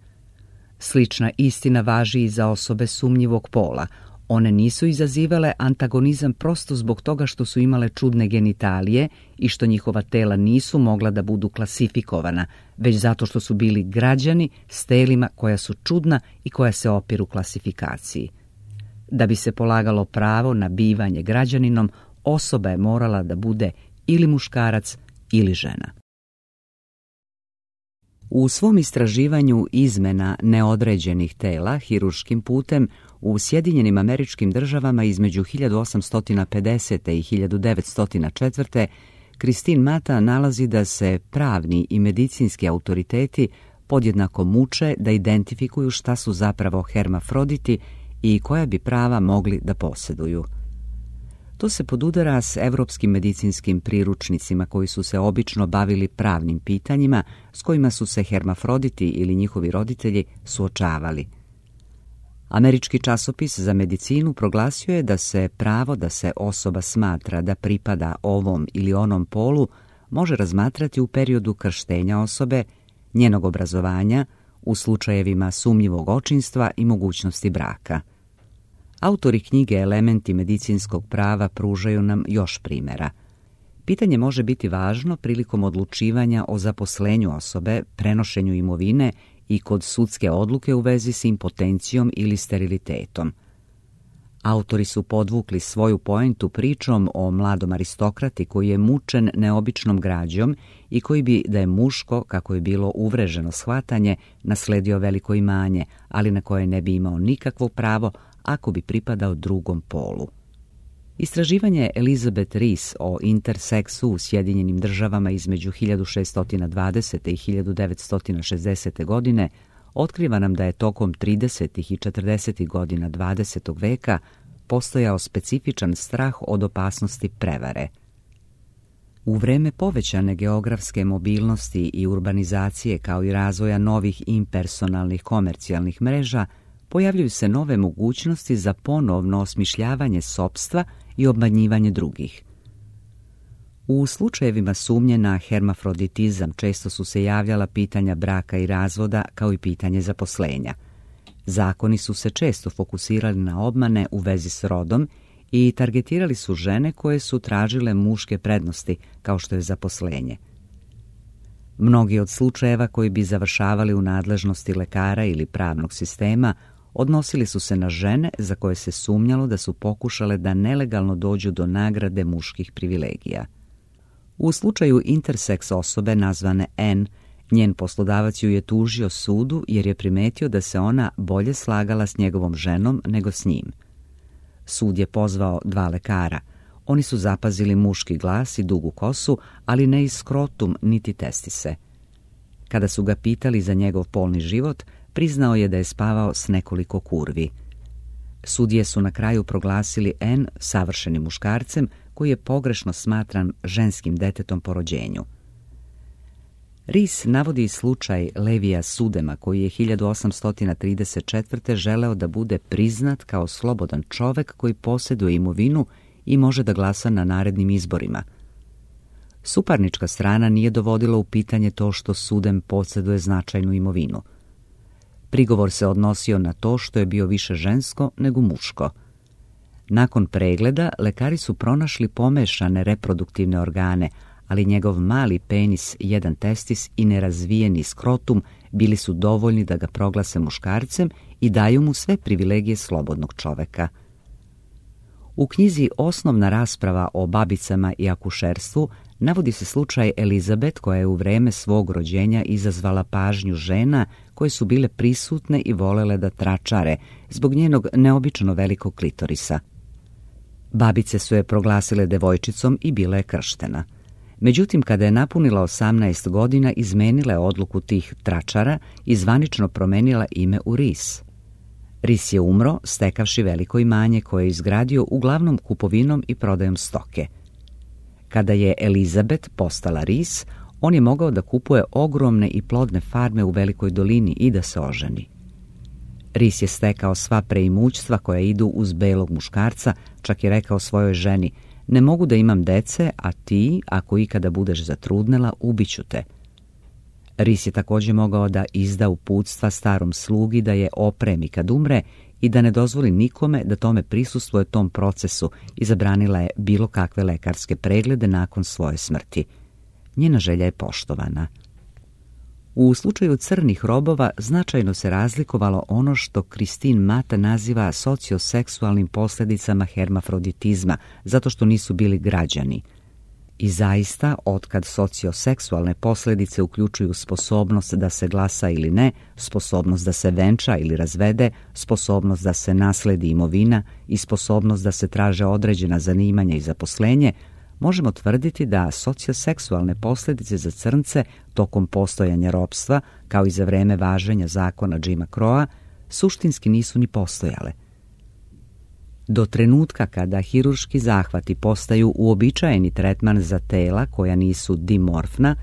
Slična istina važi i za osobe sumnjivog pola. One nisu izazivale antagonizam prosto zbog toga što su imale čudne genitalije i što njihova tela nisu mogla da budu klasifikovana, već zato što su bili građani s telima koja su čudna i koja se opiru klasifikaciji. Da bi se polagalo pravo na bivanje građaninom, osoba je morala da bude ili muškarac ili žena. U svom istraživanju izmena neodređenih tela hirurškim putem u Sjedinjenim Američkim Državama između hiljadu osamsto pedesete i hiljadu devetsto četvrte. Christine Mata nalazi da se pravni i medicinski autoriteti podjednako muče da identifikuju šta su zapravo hermafroditi i koja bi prava mogli da posjeduju. To se podudara s evropskim medicinskim priručnicima koji su se obično bavili pravnim pitanjima s kojima su se hermafroditi ili njihovi roditelji suočavali. Američki časopis za medicinu proglasio je da se pravo da se osoba smatra da pripada ovom ili onom polu može razmatrati u periodu krštenja osobe, njenog obrazovanja, u slučajevima sumnjivog očinstva i mogućnosti braka. Autori knjige Elementi medicinskog prava pružaju nam još primjera. Pitanje može biti važno prilikom odlučivanja o zaposlenju osobe, prenošenju imovine i kod sudske odluke u vezi s impotencijom ili sterilitetom. Autori su podvukli svoju poentu pričom o mladom aristokrati koji je mučen neobičnom građom i koji bi, da je muško, kako je bilo uvreženo shvatanje, nasledio veliko imanje, ali na koje ne bi imao nikakvo pravo ako bi pripadao drugom polu. Istraživanje Elizabeth Rees o interseksu u Sjedinjenim državama između hiljadu šeststo dvadesete i hiljadu devetsto šezdesete godine otkriva nam da je tokom tridesetih i četrdesetih godina dvadesetog veka postojao specifičan strah od opasnosti prevare. U vreme povećane geografske mobilnosti i urbanizacije kao i razvoja novih impersonalnih komercijalnih mreža, pojavljuju se nove mogućnosti za ponovno osmišljavanje sopstva i obmanjivanje drugih. U slučajevima sumnje na hermafroditizam često su se javljala pitanja braka i razvoda kao i pitanje zaposlenja. Zakoni su se često fokusirali na obmane u vezi s rodom i targetirali su žene koje su tražile muške prednosti kao što je zaposlenje. Mnogi od slučajeva koji bi završavali u nadležnosti lekara ili pravnog sistema odnosili su se na žene za koje se sumnjalo da su pokušale da nelegalno dođu do nagrade muških privilegija. U slučaju interseks osobe nazvane N, njen poslodavac ju je tužio sudu jer je primetio da se ona bolje slagala s njegovom ženom nego s njim. Sud je pozvao dva lekara. Oni su zapazili muški glas i dugu kosu, ali ne i skrotum niti testise. Kada su ga pitali za njegov polni život, priznao je da je spavao s nekoliko kurvi. Sudije su na kraju proglasili N savršenim muškarcem koji je pogrešno smatran ženskim detetom po rođenju. Rees navodi slučaj Levija Sudema koji je hiljadu osamsto trideset četvrte želeo da bude priznat kao slobodan čovek koji posjeduje imovinu i može da glasa na narednim izborima. Suparnička strana nije dovodila u pitanje to što Sudem posjeduje značajnu imovinu. Prigovor se odnosio na to što je bio više žensko nego muško. Nakon pregleda, lekari su pronašli pomešane reproduktivne organe, ali njegov mali penis, jedan testis i nerazvijeni skrotum bili su dovoljni da ga proglase muškarcem i daju mu sve privilegije slobodnog čoveka. U knjizi Osnovna rasprava o babicama i akušerstvu navodi se slučaj Elizabeth koja je u vreme svog rođenja izazvala pažnju žena koje su bile prisutne i volele da tračare zbog njenog neobično velikog klitorisa. Babice su je proglasile devojčicom i bila je krštena. Međutim, kada je napunila osamnaest godina, izmenila je odluku tih tračara i zvanično promenila ime u Rees. Rees je umro, stekavši veliko imanje koje je izgradio uglavnom kupovinom i prodajom stoke. Kada je Elizabeth postala Rees, on je mogao da kupuje ogromne i plodne farme u Velikoj dolini i da se oženi. Rees je stekao sva preimućstva koja idu uz belog muškarca, čak je rekao svojoj ženi: ne mogu da imam dece, a ti, ako ikada budeš zatrudnela, ubiću te. Rees je također mogao da izda uputstva starom slugi da je opremi kad umre i da ne dozvoli nikome da tome prisustvuje tom procesu i zabranila je bilo kakve lekarske preglede nakon svoje smrti. Njena želja je poštovana. U slučaju crnih robova značajno se razlikovalo ono što Christine Mata naziva socioseksualnim posljedicama hermafroditizma, zato što nisu bili građani. I zaista, otkad socioseksualne posljedice uključuju sposobnost da se glasa ili ne, sposobnost da se venča ili razvede, sposobnost da se nasledi imovina i sposobnost da se traže određena zanimanja i zaposlenje, možemo tvrditi da socioseksualne posljedice za crnce tokom postojanja ropstva, kao i za vreme važenja zakona Jima Crowa, suštinski nisu ni postojale. Do trenutka kada hirurški zahvati postaju uobičajeni tretman za tela koja nisu dimorfna,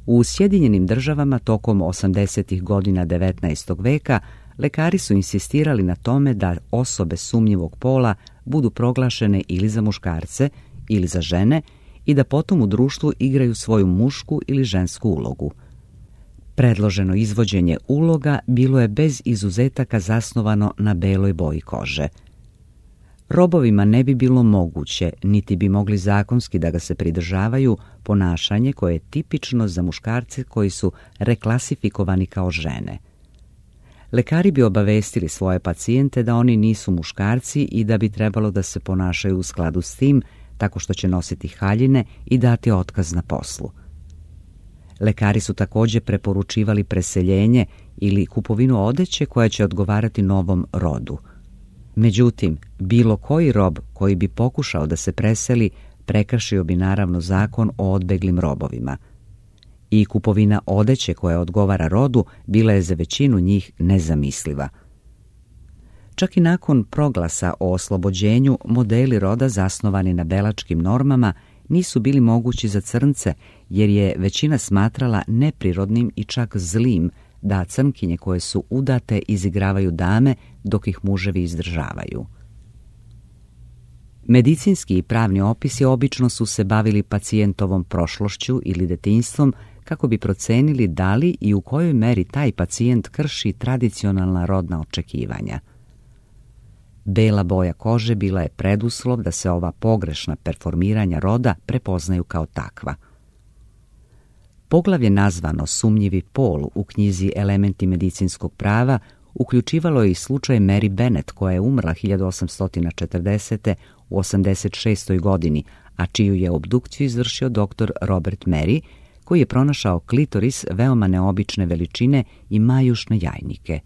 u Sjedinjenim državama tokom osamdesetih godina devetnaestog veka lekari su insistirali na tome da osobe sumnjivog pola budu proglašene ili za muškarce ili za žene i da potom u društvu igraju svoju mušku ili žensku ulogu. Predloženo izvođenje uloga bilo je bez izuzetaka zasnovano na beloj boji kože. Robovima ne bi bilo moguće, niti bi mogli zakonski da ga se pridržavaju, ponašanje koje je tipično za muškarce koji su reklasifikovani kao žene. Lekari bi obavestili svoje pacijente da oni nisu muškarci i da bi trebalo da se ponašaju u skladu s tim, tako što će nositi haljine i dati otkaz na poslu. Lekari su također preporučivali preseljenje ili kupovinu odeće koja će odgovarati novom rodu. Međutim, bilo koji rob koji bi pokušao da se preseli prekršio bi naravno zakon o odbeglim robovima. I kupovina odeće koja odgovara rodu bila je za većinu njih nezamisliva. Čak i nakon proglasa o oslobođenju, modeli roda zasnovani na belačkim normama nisu bili mogući za crnce, jer je većina smatrala neprirodnim i čak zlim da crnkinje koje su udate izigravaju dame dok ih muževi izdržavaju. Medicinski i pravni opisi obično su se bavili pacijentovom prošlošću ili detinjstvom kako bi procenili da li i u kojoj meri taj pacijent krši tradicionalna rodna očekivanja. Bela boja kože bila je preduslov da se ova pogrešna performiranja roda prepoznaju kao takva. Poglavlje nazvano Sumnjivi pol u knjizi Elementi medicinskog prava uključivalo je i slučaj Mary Bennett, koja je umrla hiljadu osamsto četrdesete u osamdeset šestoj godini, a čiju je obdukciju izvršio doktor Robert Mary, koji je pronašao klitoris veoma neobične veličine i majušne jajnike.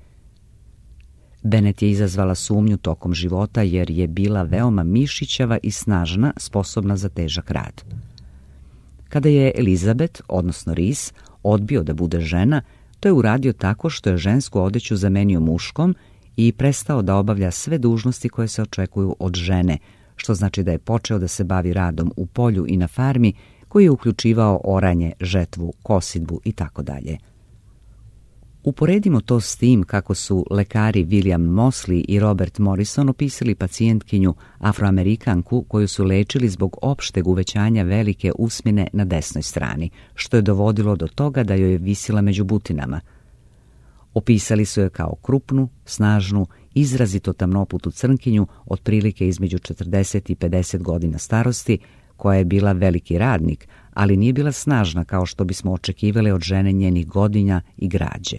Bennett je izazvala sumnju tokom života jer je bila veoma mišićava i snažna, sposobna za težak rad. Kada je Elizabeth, odnosno Rees, odbio da bude žena, to je uradio tako što je žensku odeću zamenio muškom i prestao da obavlja sve dužnosti koje se očekuju od žene, što znači da je počeo da se bavi radom u polju i na farmi, koji je uključivao oranje, žetvu, kosidbu i tako dalje. Uporedimo to s tim kako su lekari William Mosley i Robert Morrison opisali pacijentkinju Afroamerikanku koju su lečili zbog opšteg uvećanja velike usmine na desnoj strani, što je dovodilo do toga da joj je visila među butinama. Opisali su je kao krupnu, snažnu, izrazito tamnoputu crnkinju otprilike između četrdeset i pedeset godina starosti, koja je bila veliki radnik, ali nije bila snažna kao što bismo očekivali od žene njenih godina i građe.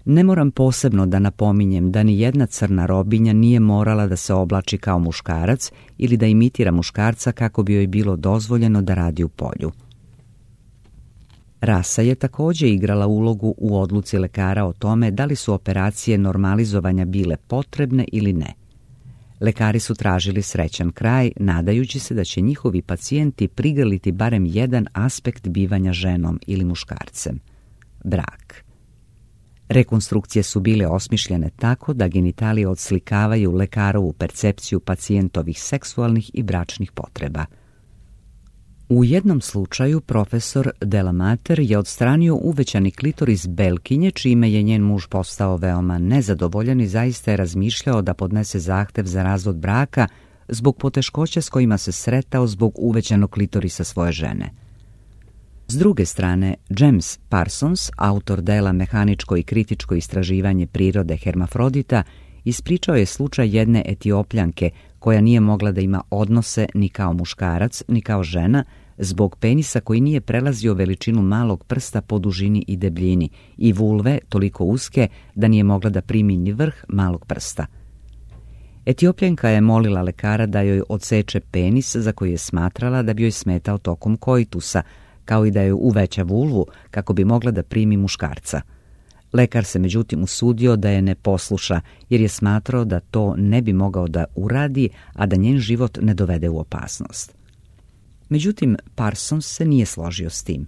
Ne moram posebno da napominjem da ni jedna crna robinja nije morala da se oblači kao muškarac ili da imitira muškarca kako bi joj bilo dozvoljeno da radi u polju. Rasa je također igrala ulogu u odluci lekara o tome da li su operacije normalizovanja bile potrebne ili ne. Lekari su tražili srećan kraj, nadajući se da će njihovi pacijenti prigrliti barem jedan aspekt bivanja ženom ili muškarcem – brak. Rekonstrukcije su bile osmišljene tako da genitalije odslikavaju lekarovu percepciju pacijentovih seksualnih i bračnih potreba. U jednom slučaju profesor Delamater je odstranio uvećani klitoris belkinje, čime je njen muž postao veoma nezadovoljan i zaista je razmišljao da podnese zahtev za razvod braka zbog poteškoća s kojima se sretao zbog uvećanog klitorisa svoje žene. S druge strane, James Parsons, autor dela Mehaničko i kritičko istraživanje prirode hermafrodita, ispričao je slučaj jedne Etiopljanke koja nije mogla da ima odnose ni kao muškarac, ni kao žena, zbog penisa koji nije prelazio veličinu malog prsta po dužini i debljini i vulve toliko uske da nije mogla da primi ni vrh malog prsta. Etiopljanka je molila lekara da joj odseče penis za koji je smatrala da bi joj smetao tokom koitusa, kao i da joj uveća vulvu kako bi mogla da primi muškarca. Lekar se međutim usudio da je ne posluša jer je smatrao da to ne bi mogao da uradi, a da njen život ne dovede u opasnost. Međutim, Parsons se nije složio s tim.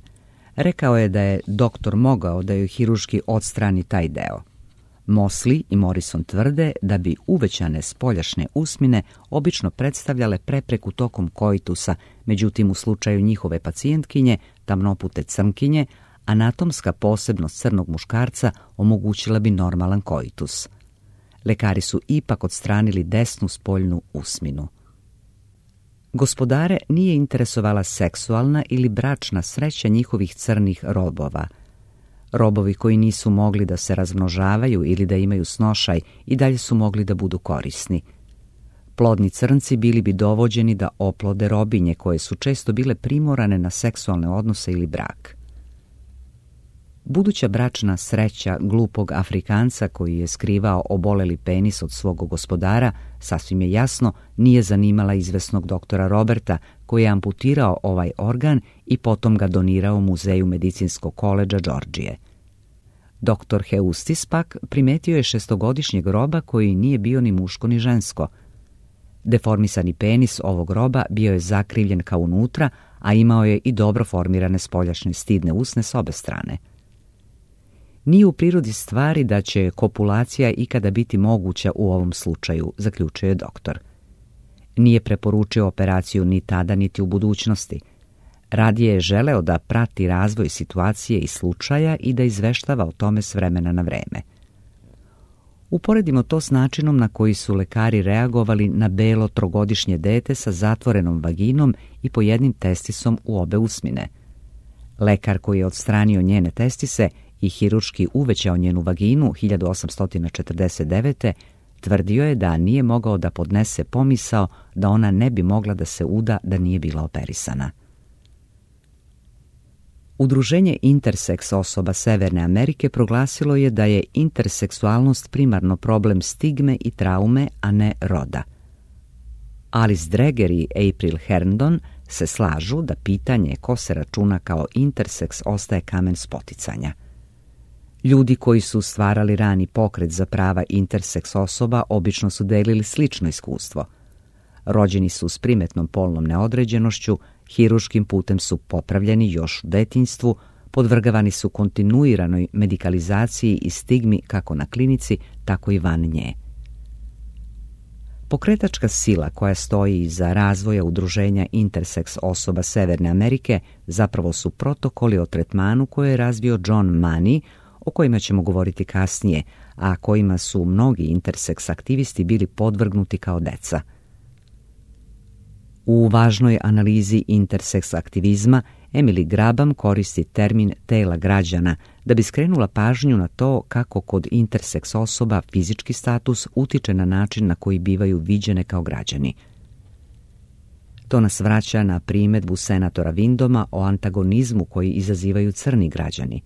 Rekao je da je doktor mogao da joj hiruški odstrani taj deo. Mosley i Morrison tvrde da bi uvećane spoljašnje usmine obično predstavljale prepreku tokom koitusa, međutim u slučaju njihove pacijentkinje, tamnopute crnkinje, anatomska posebnost crnog muškarca omogućila bi normalan koitus. Lekari su ipak odstranili desnu spoljnu usminu. Gospodare nije interesovala seksualna ili bračna sreća njihovih crnih robova. Robovi koji nisu mogli da se razmnožavaju ili da imaju snošaj i dalje su mogli da budu korisni. Plodni crnci bili bi dovođeni da oplode robinje koje su često bile primorane na seksualne odnose ili brak. Buduća bračna sreća glupog Afrikanca koji je skrivao oboleli penis od svog gospodara, sasvim je jasno, nije zanimala izvesnog doktora Roberta, koji je amputirao ovaj organ i potom ga donirao Muzeju medicinskog koledža Džordžije. Doktor Heustis pak primetio je šestogodišnjeg roba koji nije bio ni muško ni žensko. Deformisani penis ovog roba bio je zakrivljen ka unutra, a imao je i dobro formirane spoljašnje stidne usne s obe strane. Nije u prirodi stvari da će kopulacija ikada biti moguća u ovom slučaju, zaključio je doktor. Nije preporučio operaciju ni tada, niti u budućnosti. Radije je želeo da prati razvoj situacije i slučaja i da izveštava o tome s vremena na vreme. Uporedimo to s načinom na koji su lekari reagovali na belo trogodišnje dete sa zatvorenom vaginom i po jednim testisom u obe usmine. Lekar koji je odstranio njene testise i hirurški uvećao njenu vaginu hiljadu osamsto četrdeset devete. tvrdio je da nije mogao da podnese pomisao da ona ne bi mogla da se uda da nije bila operisana. Udruženje interseks osoba Severne Amerike proglasilo je da je interseksualnost primarno problem stigme i traume, a ne roda. Alice Dreger i April Herndon se slažu da pitanje ko se računa kao interseks ostaje kamen spoticanja. Ljudi koji su stvarali rani pokret za prava interseks osoba obično su delili slično iskustvo. Rođeni su s primetnom polnom neodređenošću, hirurškim putem su popravljeni još u detinjstvu, podvrgavani su kontinuiranoj medikalizaciji i stigmi kako na klinici, tako i van nje. Pokretačka sila koja stoji iza razvoja udruženja interseks osoba Severne Amerike zapravo su protokoli o tretmanu koje je razvio John Money, o kojima ćemo govoriti kasnije, a kojima su mnogi interseks aktivisti bili podvrgnuti kao deca. U važnoj analizi interseks aktivizma Emily Grabam koristi termin tela građana da bi skrenula pažnju na to kako kod interseks osoba fizički status utiče na način na koji bivaju viđene kao građani. To nas vraća na primedbu senatora Windoma o antagonizmu koji izazivaju crni građani.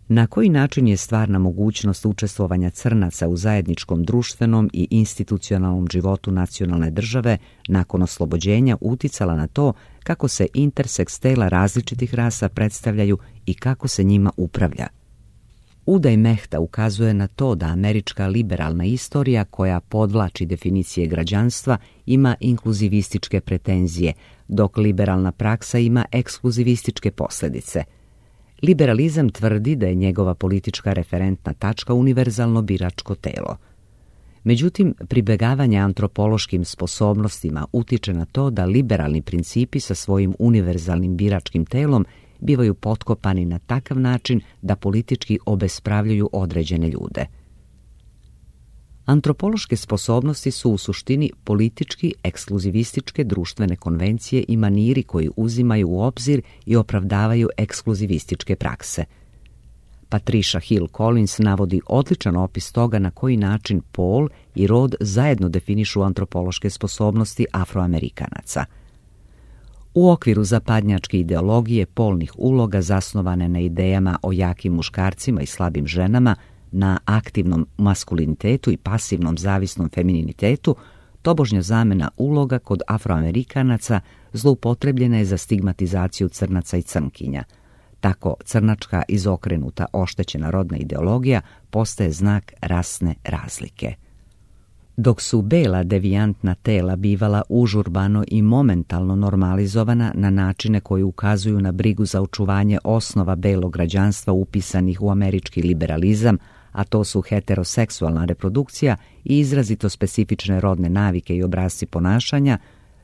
Na koji način je stvarna mogućnost učestvovanja crnaca u zajedničkom društvenom i institucionalnom životu nacionalne države nakon oslobođenja uticala na to kako se interseks tela različitih rasa predstavljaju i kako se njima upravlja? Udaj Mehta ukazuje na to da američka liberalna istorija koja podvlači definicije građanstva ima inkluzivističke pretenzije, dok liberalna praksa ima ekskluzivističke posljedice. Liberalizam tvrdi da je njegova politička referentna tačka univerzalno biračko telo. Međutim, pribegavanje antropološkim sposobnostima utiče na to da liberalni principi sa svojim univerzalnim biračkim telom bivaju potkopani na takav način da politički obespravljuju određene ljude. Antropološke sposobnosti su u suštini politički ekskluzivističke društvene konvencije i maniri koji uzimaju u obzir i opravdavaju ekskluzivističke prakse. Patricia Hill Collins navodi odličan opis toga na koji način pol i rod zajedno definišu antropološke sposobnosti Afroamerikanaca. U okviru zapadnjačke ideologije polnih uloga zasnovane na idejama o jakim muškarcima i slabim ženama, na aktivnom maskulinitetu i pasivnom zavisnom femininitetu, tobožnja zamena uloga kod Afroamerikanaca zloupotrebljena je za stigmatizaciju crnaca i crnkinja. Tako crnačka izokrenuta oštećena rodna ideologija postaje znak rasne razlike. Dok su bela devijantna tela bivala užurbano i momentalno normalizovana na načine koji ukazuju na brigu za očuvanje osnova belog građanstva upisanih u američki liberalizam, a to su heteroseksualna reprodukcija i izrazito specifične rodne navike i obrasci ponašanja,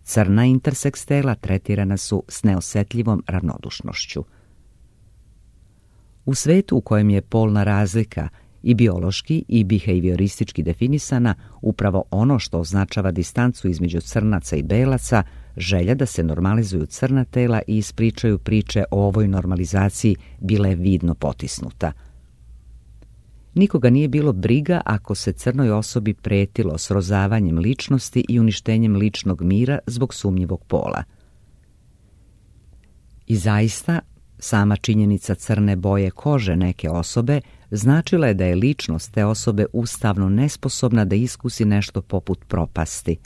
crna interseks tela tretirana su s neosetljivom ravnodušnošću. U svetu u kojem je polna razlika i biološki i behavioristički definisana, upravo ono što označava distancu između crnaca i belaca, želja da se normalizuju crna tela i ispričaju priče o ovoj normalizaciji bila je vidno potisnuta. Nikoga nije bilo briga ako se crnoj osobi pretilo srozavanjem ličnosti i uništenjem ličnog mira zbog sumnjivog pola. I zaista, Sama činjenica crne boje kože neke osobe značila je da je ličnost te osobe ustavno nesposobna da iskusi nešto poput propasti.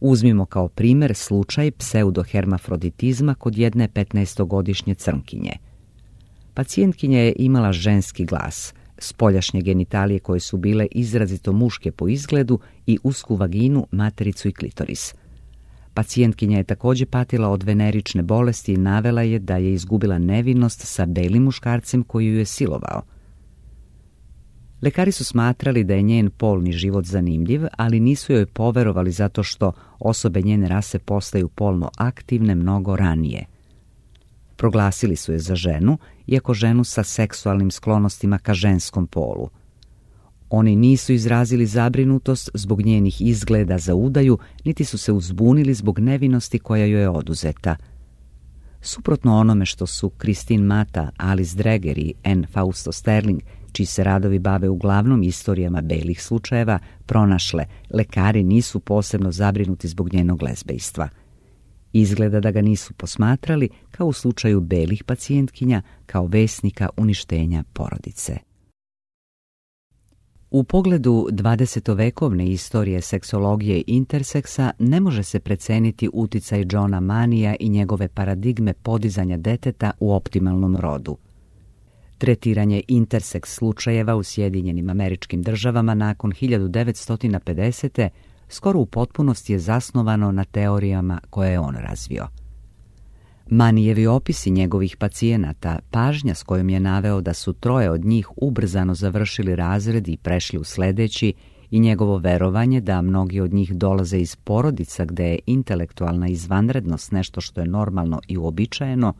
Uzmimo kao primjer slučaj pseudohermafroditizma kod jedne petnaestogodišnje crnkinje. Pacijentkinja je imala ženski glas, spoljašnje genitalije koje su bile izrazito muške po izgledu i usku vaginu, matericu i klitoris. Pacijentkinja je također patila od venerične bolesti i navela je da je izgubila nevinost sa belim muškarcem koji ju je silovao. Lekari su smatrali da je njen polni život zanimljiv, ali nisu joj poverovali zato što osobe njene rase postaju polno aktivne mnogo ranije. Proglasili su je za ženu, iako ženu sa seksualnim sklonostima ka ženskom polu. Oni nisu izrazili zabrinutost zbog njenih izgleda za udaju, niti su se uzbunili zbog nevinosti koja joj je oduzeta. Suprotno onome što su Christine Mata, Alice Dreger i Anne Fausto Sterling, čiji se radovi bave uglavnom istorijama belih slučajeva, pronašle, lekari nisu posebno zabrinuti zbog njenog lezbejstva. Izgleda da ga nisu posmatrali, kao u slučaju belih pacijentkinja, kao vesnika uništenja porodice. U pogledu dvadesetovekovne istorije seksologije i interseksa ne može se preceniti uticaj Johna Manija i njegove paradigme podizanja deteta u optimalnom rodu. Tretiranje interseks slučajeva u Sjedinjenim Američkim Državama nakon hiljadu devetsto pedesete skoro u potpunosti je zasnovano na teorijama koje je on razvio. Manijevi opisi njegovih pacijenata, pažnja s kojom je naveo da su troje od njih ubrzano završili razred i prešli u sledeći i njegovo verovanje da mnogi od njih dolaze iz porodica gde je intelektualna izvanrednost nešto što je normalno i uobičajeno,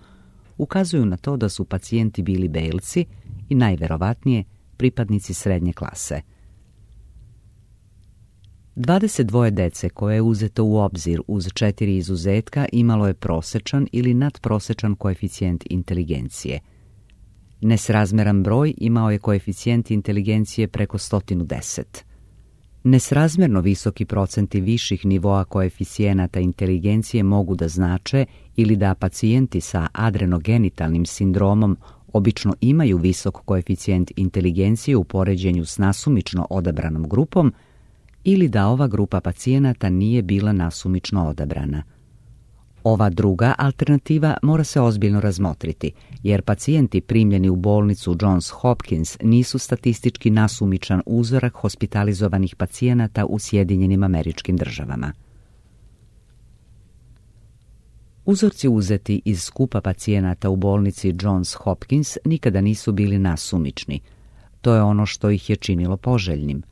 ukazuju na to da su pacijenti bili belci i najverovatnije pripadnici srednje klase. dvadeset dvoje dece koje je uzeto u obzir uz četiri izuzetka imalo je prosečan ili nadprosečan koeficijent inteligencije. Nesrazmeran broj imao je koeficijent inteligencije preko sto deset. Nesrazmerno visoki procenti viših nivoa koeficijenata inteligencije mogu da znače ili da pacijenti sa adrenogenitalnim sindromom obično imaju visok koeficijent inteligencije u poređenju s nasumično odabranom grupom, ili da ova grupa pacijenata nije bila nasumično odabrana. Ova druga alternativa mora se ozbiljno razmotriti, jer pacijenti primljeni u bolnicu Johns Hopkins nisu statistički nasumičan uzorak hospitalizovanih pacijenata u Sjedinjenim Američkim Državama. Uzorci uzeti iz skupa pacijenata u bolnici Johns Hopkins nikada nisu bili nasumični. To je ono što ih je činilo poželjnim.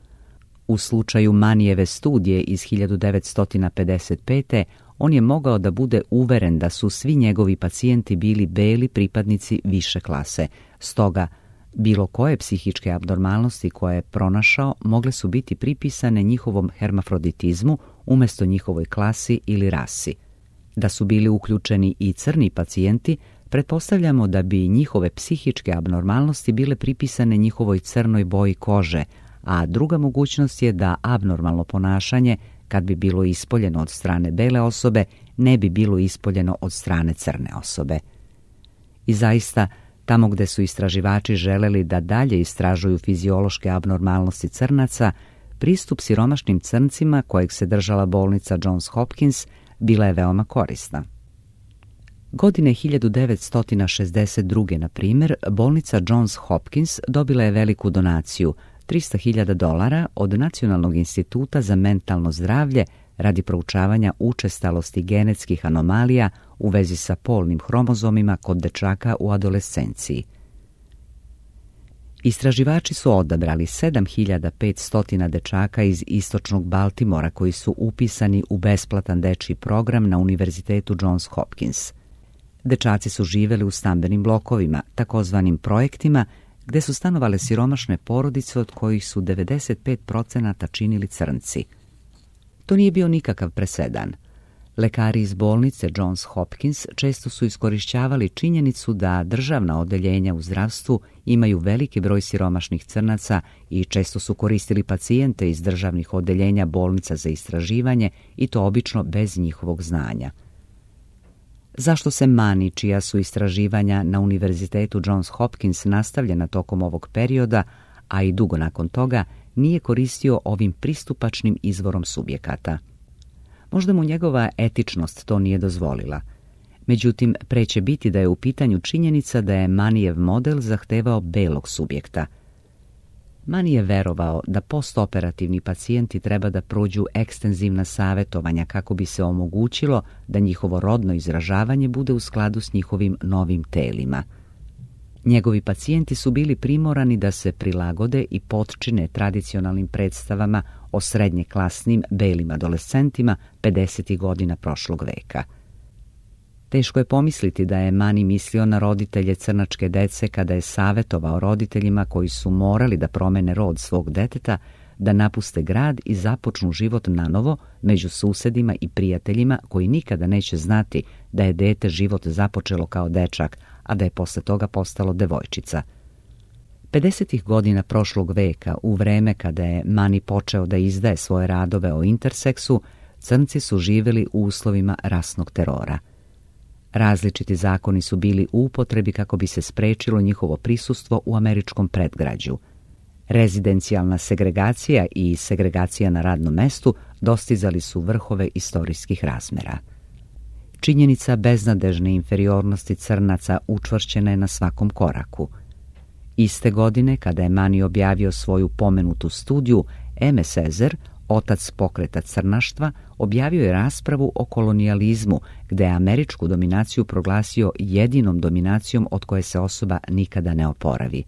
U slučaju Manijeve studije iz hiljadu devetsto pedeset pete on je mogao da bude uveren da su svi njegovi pacijenti bili beli pripadnici više klase. Stoga, bilo koje psihičke abnormalnosti koje je pronašao mogle su biti pripisane njihovom hermafroditizmu umjesto njihovoj klasi ili rasi. Da su bili uključeni i crni pacijenti, pretpostavljamo da bi njihove psihičke abnormalnosti bile pripisane njihovoj crnoj boji kože, a druga mogućnost je da abnormalno ponašanje, kad bi bilo ispoljeno od strane bele osobe, ne bi bilo ispoljeno od strane crne osobe. I zaista, tamo gde su istraživači želeli da dalje istražuju fiziološke abnormalnosti crnaca, pristup siromašnim crncima kojeg se držala bolnica Johns Hopkins bila je veoma korisna. Godine hiljadu devetsto šezdeset druge, na primjer, bolnica Johns Hopkins dobila je veliku donaciju, trista hiljada dolara, od Nacionalnog instituta za mentalno zdravlje radi proučavanja učestalosti genetskih anomalija u vezi sa polnim hromozomima kod dečaka u adolescenciji. Istraživači su odabrali sedam hiljada petsto dečaka iz istočnog Baltimora koji su upisani u besplatan dečji program na Univerzitetu Johns Hopkins. Dečaci su živeli u stambenim blokovima, takozvanim projektima, gde su stanovale siromašne porodice od kojih su devedeset pet procenata činili crnci. To nije bio nikakav presedan. Lekari iz bolnice Johns Hopkins često su iskorišćavali činjenicu da državna odeljenja u zdravstvu imaju veliki broj siromašnih crnaca i često su koristili pacijente iz državnih odeljenja bolnica za istraživanje i to obično bez njihovog znanja. Zašto se Mani, čija su istraživanja na Univerzitetu Johns Hopkins nastavljena tokom ovog perioda, a i dugo nakon toga, nije koristio ovim pristupačnim izvorom subjekata? Možda mu njegova etičnost to nije dozvolila. Međutim, pre će biti da je u pitanju činjenica da je Manijev model zahtevao belog subjekta. Mani je verovao da postoperativni pacijenti treba da prođu ekstenzivna savjetovanja kako bi se omogućilo da njihovo rodno izražavanje bude u skladu s njihovim novim telima. Njegovi pacijenti su bili primorani da se prilagode i potčine tradicionalnim predstavama o srednje klasnim belim adolescentima pedesetih godina prošlog veka. Teško je pomisliti da je Mani mislio na roditelje crnačke dece kada je savjetovao roditeljima koji su morali da promene rod svog deteta, da napuste grad i započnu život nanovo među susedima i prijateljima koji nikada neće znati da je dete život započelo kao dečak, a da je posle toga postalo devojčica. pedesetih godina prošlog veka, u vreme kada je Mani počeo da izdaje svoje radove o interseksu, crnci su živjeli u uslovima rasnog terora. Različiti zakoni su bili u upotrebi kako bi se sprečilo njihovo prisustvo u američkom predgrađu. Rezidencijalna segregacija i segregacija na radnom mestu dostizali su vrhove istorijskih razmera. Činjenica beznadežne inferiornosti crnaca učvršćena je na svakom koraku. Iste godine, kada je Mani objavio svoju pomenutu studiju, Eme Sezer, otac pokreta crnaštva, objavio je raspravu o kolonijalizmu, gde je američku dominaciju proglasio jedinom dominacijom od koje se osoba nikada ne oporavi.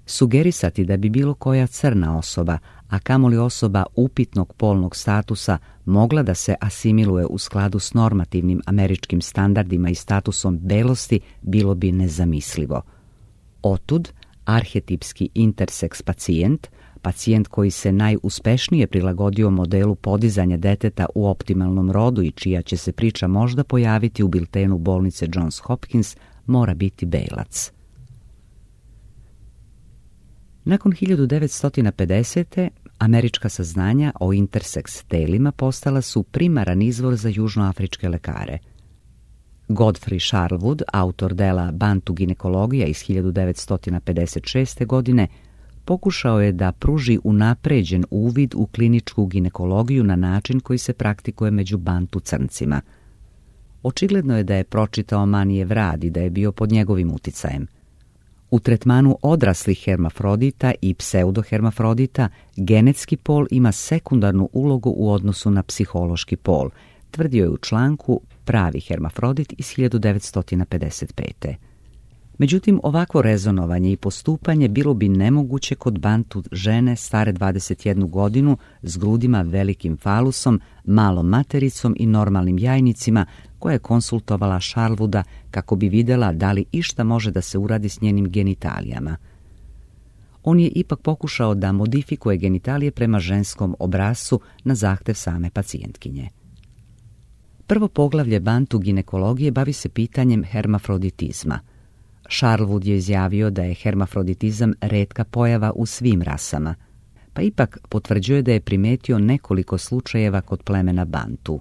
Sugerisati da bi bilo koja crna osoba, a kamoli osoba upitnog polnog statusa, mogla da se asimiluje u skladu s normativnim američkim standardima i statusom belosti, bilo bi nezamislivo. Otud, arhetipski interseks pacijent, pacijent koji se najuspešnije prilagodio modelu podizanja deteta u optimalnom rodu i čija će se priča možda pojaviti u biltenu bolnice Johns Hopkins, mora biti belac. Nakon hiljadu devetsto pedesete. američka saznanja o interseks telima postala su primaran izvor za južnoafričke lekare. Godfrey Sharlewood, autor dela Bantu ginekologija iz hiljadu devetsto pedeset šeste. godine, pokušao je da pruži unapređen uvid u kliničku ginekologiju na način koji se praktikuje među bantu crncima. Očigledno je da je pročitao Manijev rad i da je bio pod njegovim uticajem. U tretmanu odraslih hermafrodita i pseudohermafrodita genetski pol ima sekundarnu ulogu u odnosu na psihološki pol, tvrdio je u članku Pravi hermafrodit iz hiljadu devetsto pedeset pete. Međutim, ovakvo rezonovanje i postupanje bilo bi nemoguće kod bantu žene stare dvadeset jednu godinu s grudima, velikim falusom, malom matericom i normalnim jajnicima, koja je konsultovala Sharlewooda kako bi vidjela da li išta može da se uradi s njenim genitalijama. On je ipak pokušao da modifikuje genitalije prema ženskom obrascu na zahtev same pacijentkinje. Prvo poglavlje bantu ginekologije bavi se pitanjem hermafroditizma. Sharlewood je izjavio da je hermafroditizam retka pojava u svim rasama, pa ipak potvrđuje da je primetio nekoliko slučajeva kod plemena bantu.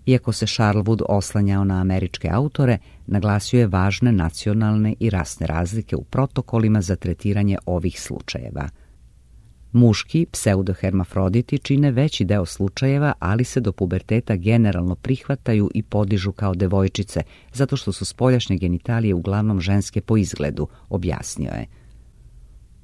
Iako se Sharlewood oslanjao na američke autore, naglasio je važne nacionalne i rasne razlike u protokolima za tretiranje ovih slučajeva. Muški pseudohermafroditi čine veći deo slučajeva, ali se do puberteta generalno prihvataju i podižu kao devojčice, zato što su spoljašnje genitalije uglavnom ženske po izgledu, objasnio je.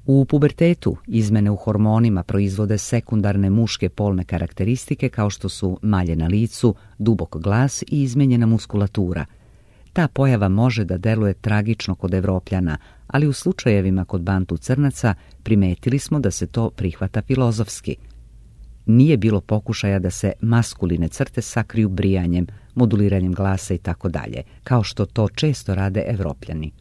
U pubertetu izmene u hormonima proizvode sekundarne muške polne karakteristike kao što su malje na licu, dubok glas i izmenjena muskulatura. Ta pojava može da deluje tragično kod Evropljana, ali u slučajevima kod bantu crnaca primetili smo da se to prihvata filozofski. Nije bilo pokušaja da se maskuline crte sakriju brijanjem, moduliranjem glasa i tako dalje, kao što to često rade Evropljani.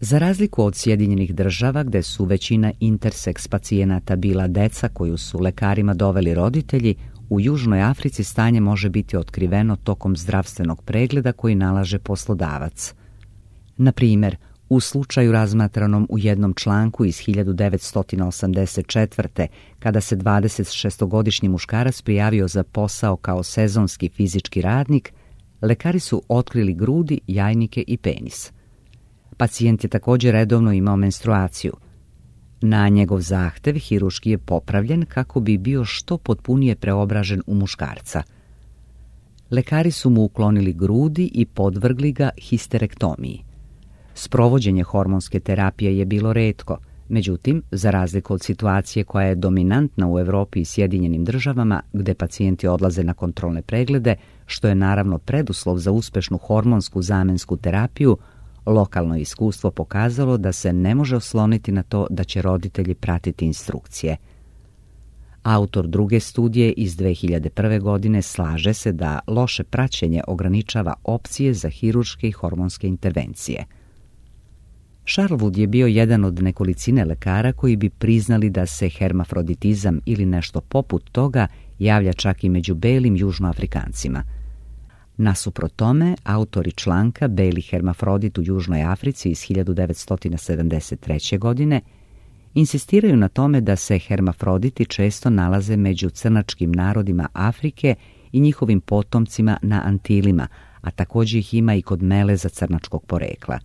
Za razliku od Sjedinjenih država, gde su većina interseks pacijenata bila deca koju su lekarima doveli roditelji, u Južnoj Africi stanje može biti otkriveno tokom zdravstvenog pregleda koji nalaže poslodavac. Na primjer, u slučaju razmatranom u jednom članku iz hiljadu devetsto osamdeset četvrte. kada se dvadesetšestogodišnji muškarac prijavio za posao kao sezonski fizički radnik, lekari su otkrili grudi, jajnike i penis. Pacijent je također redovno imao menstruaciju. Na njegov zahtev hiruški je popravljen kako bi bio što potpunije preobražen u muškarca. Lekari su mu uklonili grudi i podvrgli ga histerektomiji. Sprovođenje hormonske terapije je bilo retko, međutim, za razliku od situacije koja je dominantna u Europi i Sjedinjenim državama, gde pacijenti odlaze na kontrolne preglede, što je naravno preduslov za uspešnu hormonsku zamensku terapiju, lokalno iskustvo pokazalo da se ne može osloniti na to da će roditelji pratiti instrukcije. Autor druge studije iz dve hiljade prve. godine slaže se da loše praćenje ograničava opcije za hirurške i hormonske intervencije. Charlewood je bio jedan od nekolicine lekara koji bi priznali da se hermafroditizam ili nešto poput toga javlja čak i među belim južnoafrikancima. Nasuprot tome, autori članka Beli hermafrodit u Južnoj Africi iz hiljadu devetsto sedamdeset treće. godine insistiraju na tome da se hermafroditi često nalaze među crnačkim narodima Afrike i njihovim potomcima na Antilima, a također ih ima i kod meleza crnačkog porekla.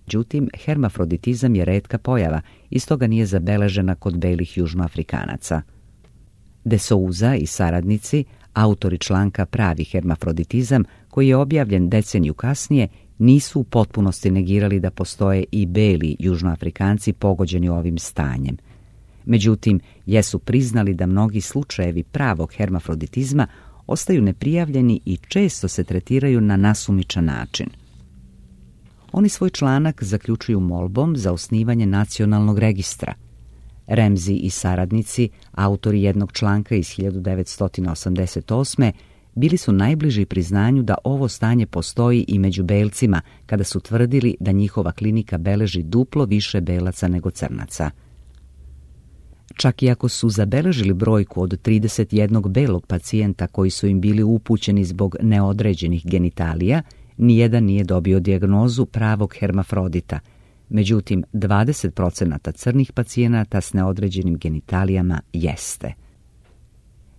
Međutim, hermafroditizam je retka pojava i stoga nije zabeležena kod belih južnoafrikanaca. De Souza i saradnici, autori članka Pravi hermafroditizam, koji je objavljen deceniju kasnije, nisu u potpunosti negirali da postoje i beli južnoafrikanci pogođeni ovim stanjem. Međutim, jesu priznali da mnogi slučajevi pravog hermafroditizma ostaju neprijavljeni i često se tretiraju na nasumičan način. Oni svoj članak zaključuju molbom za osnivanje nacionalnog registra. Ramsey i saradnici, autori jednog članka iz hiljadu devetsto osamdeset osme. bili su najbliži priznanju da ovo stanje postoji i među belcima, kada su tvrdili da njihova klinika beleži duplo više belaca nego crnaca. Čak i ako su zabeležili brojku od trideset jednog belog pacijenta koji su im bili upućeni zbog neodređenih genitalija, nijedan nije dobio dijagnozu pravog hermafrodita. Međutim, dvadeset procenata crnih pacijenata s neodređenim genitalijama jeste.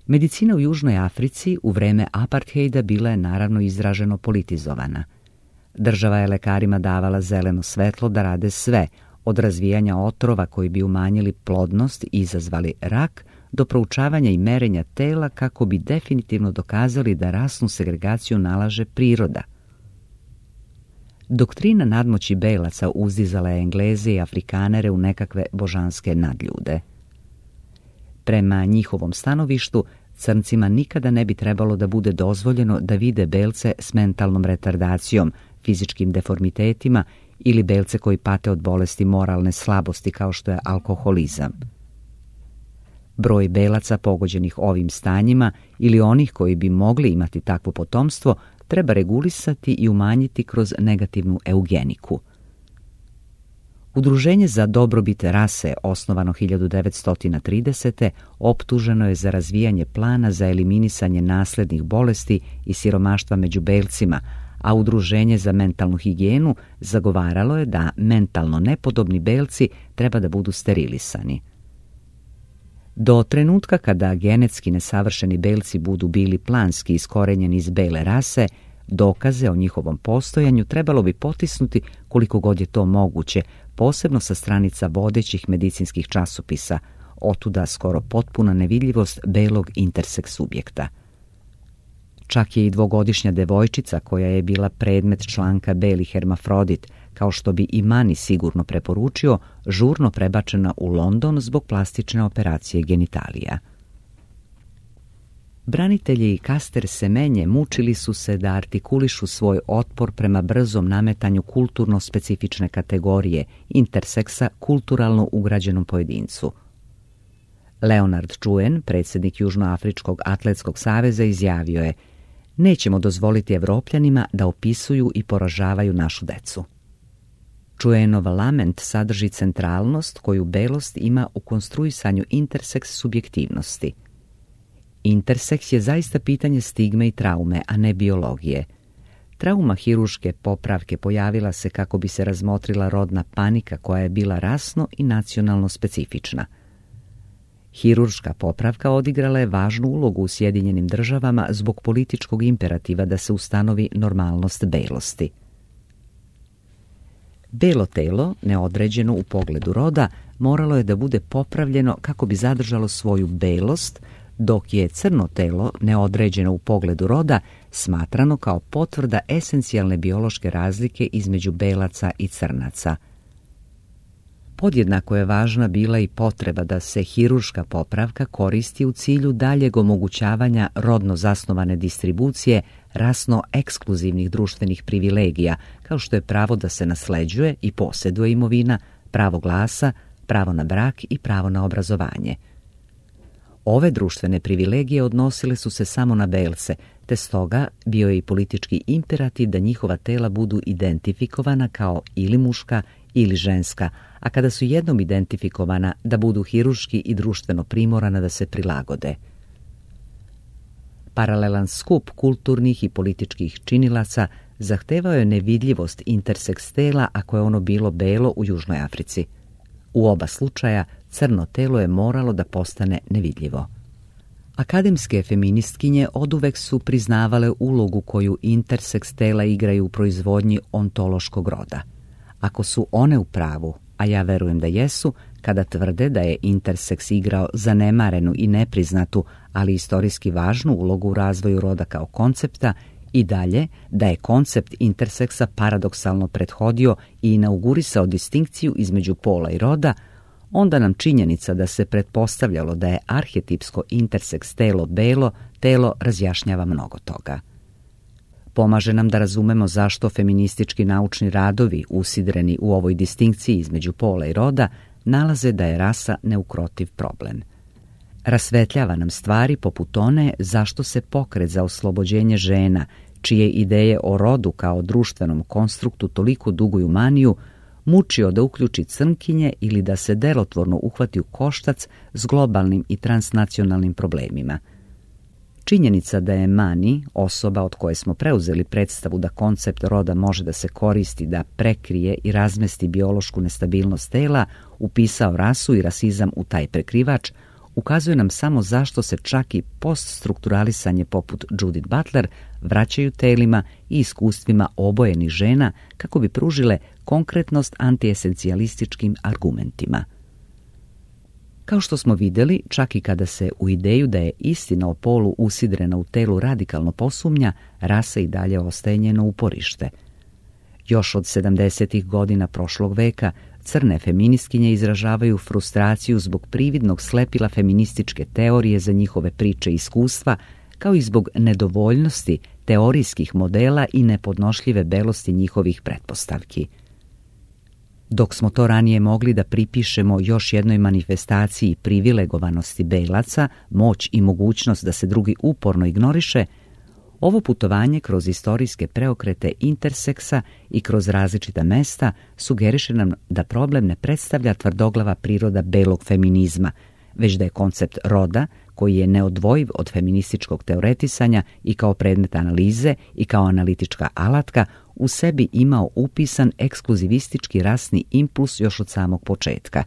Medicina u Južnoj Africi u vreme apartheida bila je naravno izraženo politizovana. Država je lekarima davala zeleno svetlo da rade sve, od razvijanja otrova koji bi umanjili plodnost i izazvali rak, do proučavanja i merenja tela kako bi definitivno dokazali da rasnu segregaciju nalaže priroda. Doktrina nadmoći belaca uzdizala je Engleze i Afrikanere u nekakve božanske nadljude. Prema njihovom stanovištu, crncima nikada ne bi trebalo da bude dozvoljeno da vide belce s mentalnom retardacijom, fizičkim deformitetima ili belce koji pate od bolesti moralne slabosti kao što je alkoholizam. Broj belaca pogođenih ovim stanjima ili onih koji bi mogli imati takvo potomstvo treba regulisati i umanjiti kroz negativnu eugeniku. Udruženje za dobrobit rase, osnovano hiljadu devetsto tridesete. optuženo je za razvijanje plana za eliminisanje naslednih bolesti i siromaštva među belcima, a Udruženje za mentalnu higijenu zagovaralo je da mentalno nepodobni belci treba da budu sterilisani. Do trenutka kada genetski nesavršeni belci budu bili planski iskorenjeni iz bele rase, dokaze o njihovom postojanju trebalo bi potisnuti koliko god je to moguće, posebno sa stranica vodećih medicinskih časopisa, otuda skoro potpuna nevidljivost belog interseks subjekta. Čak je i dvogodišnja devojčica koja je bila predmet članka Beli hermafrodit, kao što bi i Mani sigurno preporučio, žurno prebačena u London zbog plastične operacije genitalija. Branitelji Caster Semenje mučili su se da artikulišu svoj otpor prema brzom nametanju kulturno specifične kategorije interseksa kulturalno ugrađenom pojedincu. Leonard Chuen, predsjednik Južnoafričkog atletskog saveza, izjavio je: "Nećemo dozvoliti Evropljanima da opisuju i poražavaju našu decu." Chuenov lament sadrži centralnost koju belost ima u konstruisanju interseks subjektivnosti. Interseks je zaista pitanje stigme i traume, a ne biologije. Trauma hiruške popravke pojavila se kako bi se razmotrila rodna panika koja je bila rasno i nacionalno specifična. Hirurška popravka odigrala je važnu ulogu u Sjedinjenim državama zbog političkog imperativa da se ustanovi normalnost belosti. Belo telo, neodređeno u pogledu roda, moralo je da bude popravljeno kako bi zadržalo svoju belost, dok je crno telo, neodređeno u pogledu roda, smatrano kao potvrda esencijalne biološke razlike između belaca i crnaca. Podjednako je važna bila i potreba da se hirurška popravka koristi u cilju daljeg omogućavanja rodno zasnovane distribucije rasno ekskluzivnih društvenih privilegija, kao što je pravo da se nasleđuje i posjeduje imovina, pravo glasa, pravo na brak i pravo na obrazovanje. Ove društvene privilegije odnosile su se samo na belce, te stoga bio je i politički imperativ da njihova tela budu identifikovana kao ili muška ili ženska, a kada su jednom identifikovana da budu hirurški i društveno primorana da se prilagode. Paralelan skup kulturnih i političkih činilaca zahtevao je nevidljivost interseks tela ako je ono bilo belo u Južnoj Africi. U oba slučaja crno telo je moralo da postane nevidljivo. Akademske feministkinje oduvek su priznavale ulogu koju interseks tela igraju u proizvodnji ontološkog roda. Ako su one u pravu, a ja verujem da jesu, kada tvrde da je interseks igrao zanemarenu i nepriznatu, ali istorijski važnu ulogu u razvoju roda kao koncepta, i dalje da je koncept interseksa paradoksalno prethodio i inaugurisao distinkciju između pola i roda, onda nam činjenica da se pretpostavljalo da je arhetipsko interseks telo belo telo razjašnjava mnogo toga. Pomaže nam da razumemo zašto feministički naučni radovi, usidreni u ovoj distinkciji između pola i roda, nalaze da je rasa neukrotiv problem. Rasvetljava nam stvari poput one zašto se pokret za oslobođenje žena, čije ideje o rodu kao društvenom konstruktu toliko duguju maniju, mučio da uključi crnkinje ili da se delotvorno uhvati u koštac s globalnim i transnacionalnim problemima. Činjenica da je Mani, osoba od koje smo preuzeli predstavu da koncept roda može da se koristi da prekrije i razmesti biološku nestabilnost tela, upisao rasu i rasizam u taj prekrivač, ukazuje nam samo zašto se čak i poststrukturalisanje poput Judith Butler vraćaju telima i iskustvima obojenih žena kako bi pružile konkretnost antiesencijalističkim argumentima. Kao što smo vidjeli, čak i kada se u ideju da je istina o polu usidrena u telu radikalno posumnja, rasa i dalje ostaje njeno uporište. Još od sedamdesetih godina prošlog veka crne feministkinje izražavaju frustraciju zbog prividnog slepila feminističke teorije za njihove priče i iskustva, kao i zbog nedovoljnosti teorijskih modela i nepodnošljive belosti njihovih pretpostavki. Dok smo to ranije mogli da pripišemo još jednoj manifestaciji privilegovanosti belaca, moć i mogućnost da se drugi uporno ignoriše, ovo putovanje kroz istorijske preokrete interseksa i kroz različita mesta sugeriše nam da problem ne predstavlja tvrdoglava priroda belog feminizma, već da je koncept roda, koji je neodvojiv od feminističkog teoretisanja i kao predmet analize i kao analitička alatka, u sebi imao upisan ekskluzivistički rasni impuls još od samog početka.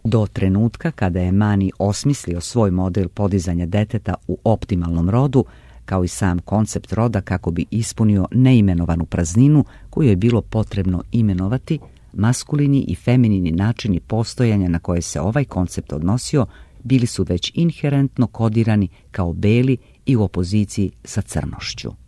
Do trenutka kada je Mani osmislio svoj model podizanja deteta u optimalnom rodu, kao i sam koncept roda kako bi ispunio neimenovanu prazninu koju je bilo potrebno imenovati, maskulini i feminini načini postojanja na koje se ovaj koncept odnosio bili su već inherentno kodirani kao beli i u opoziciji sa crnošću.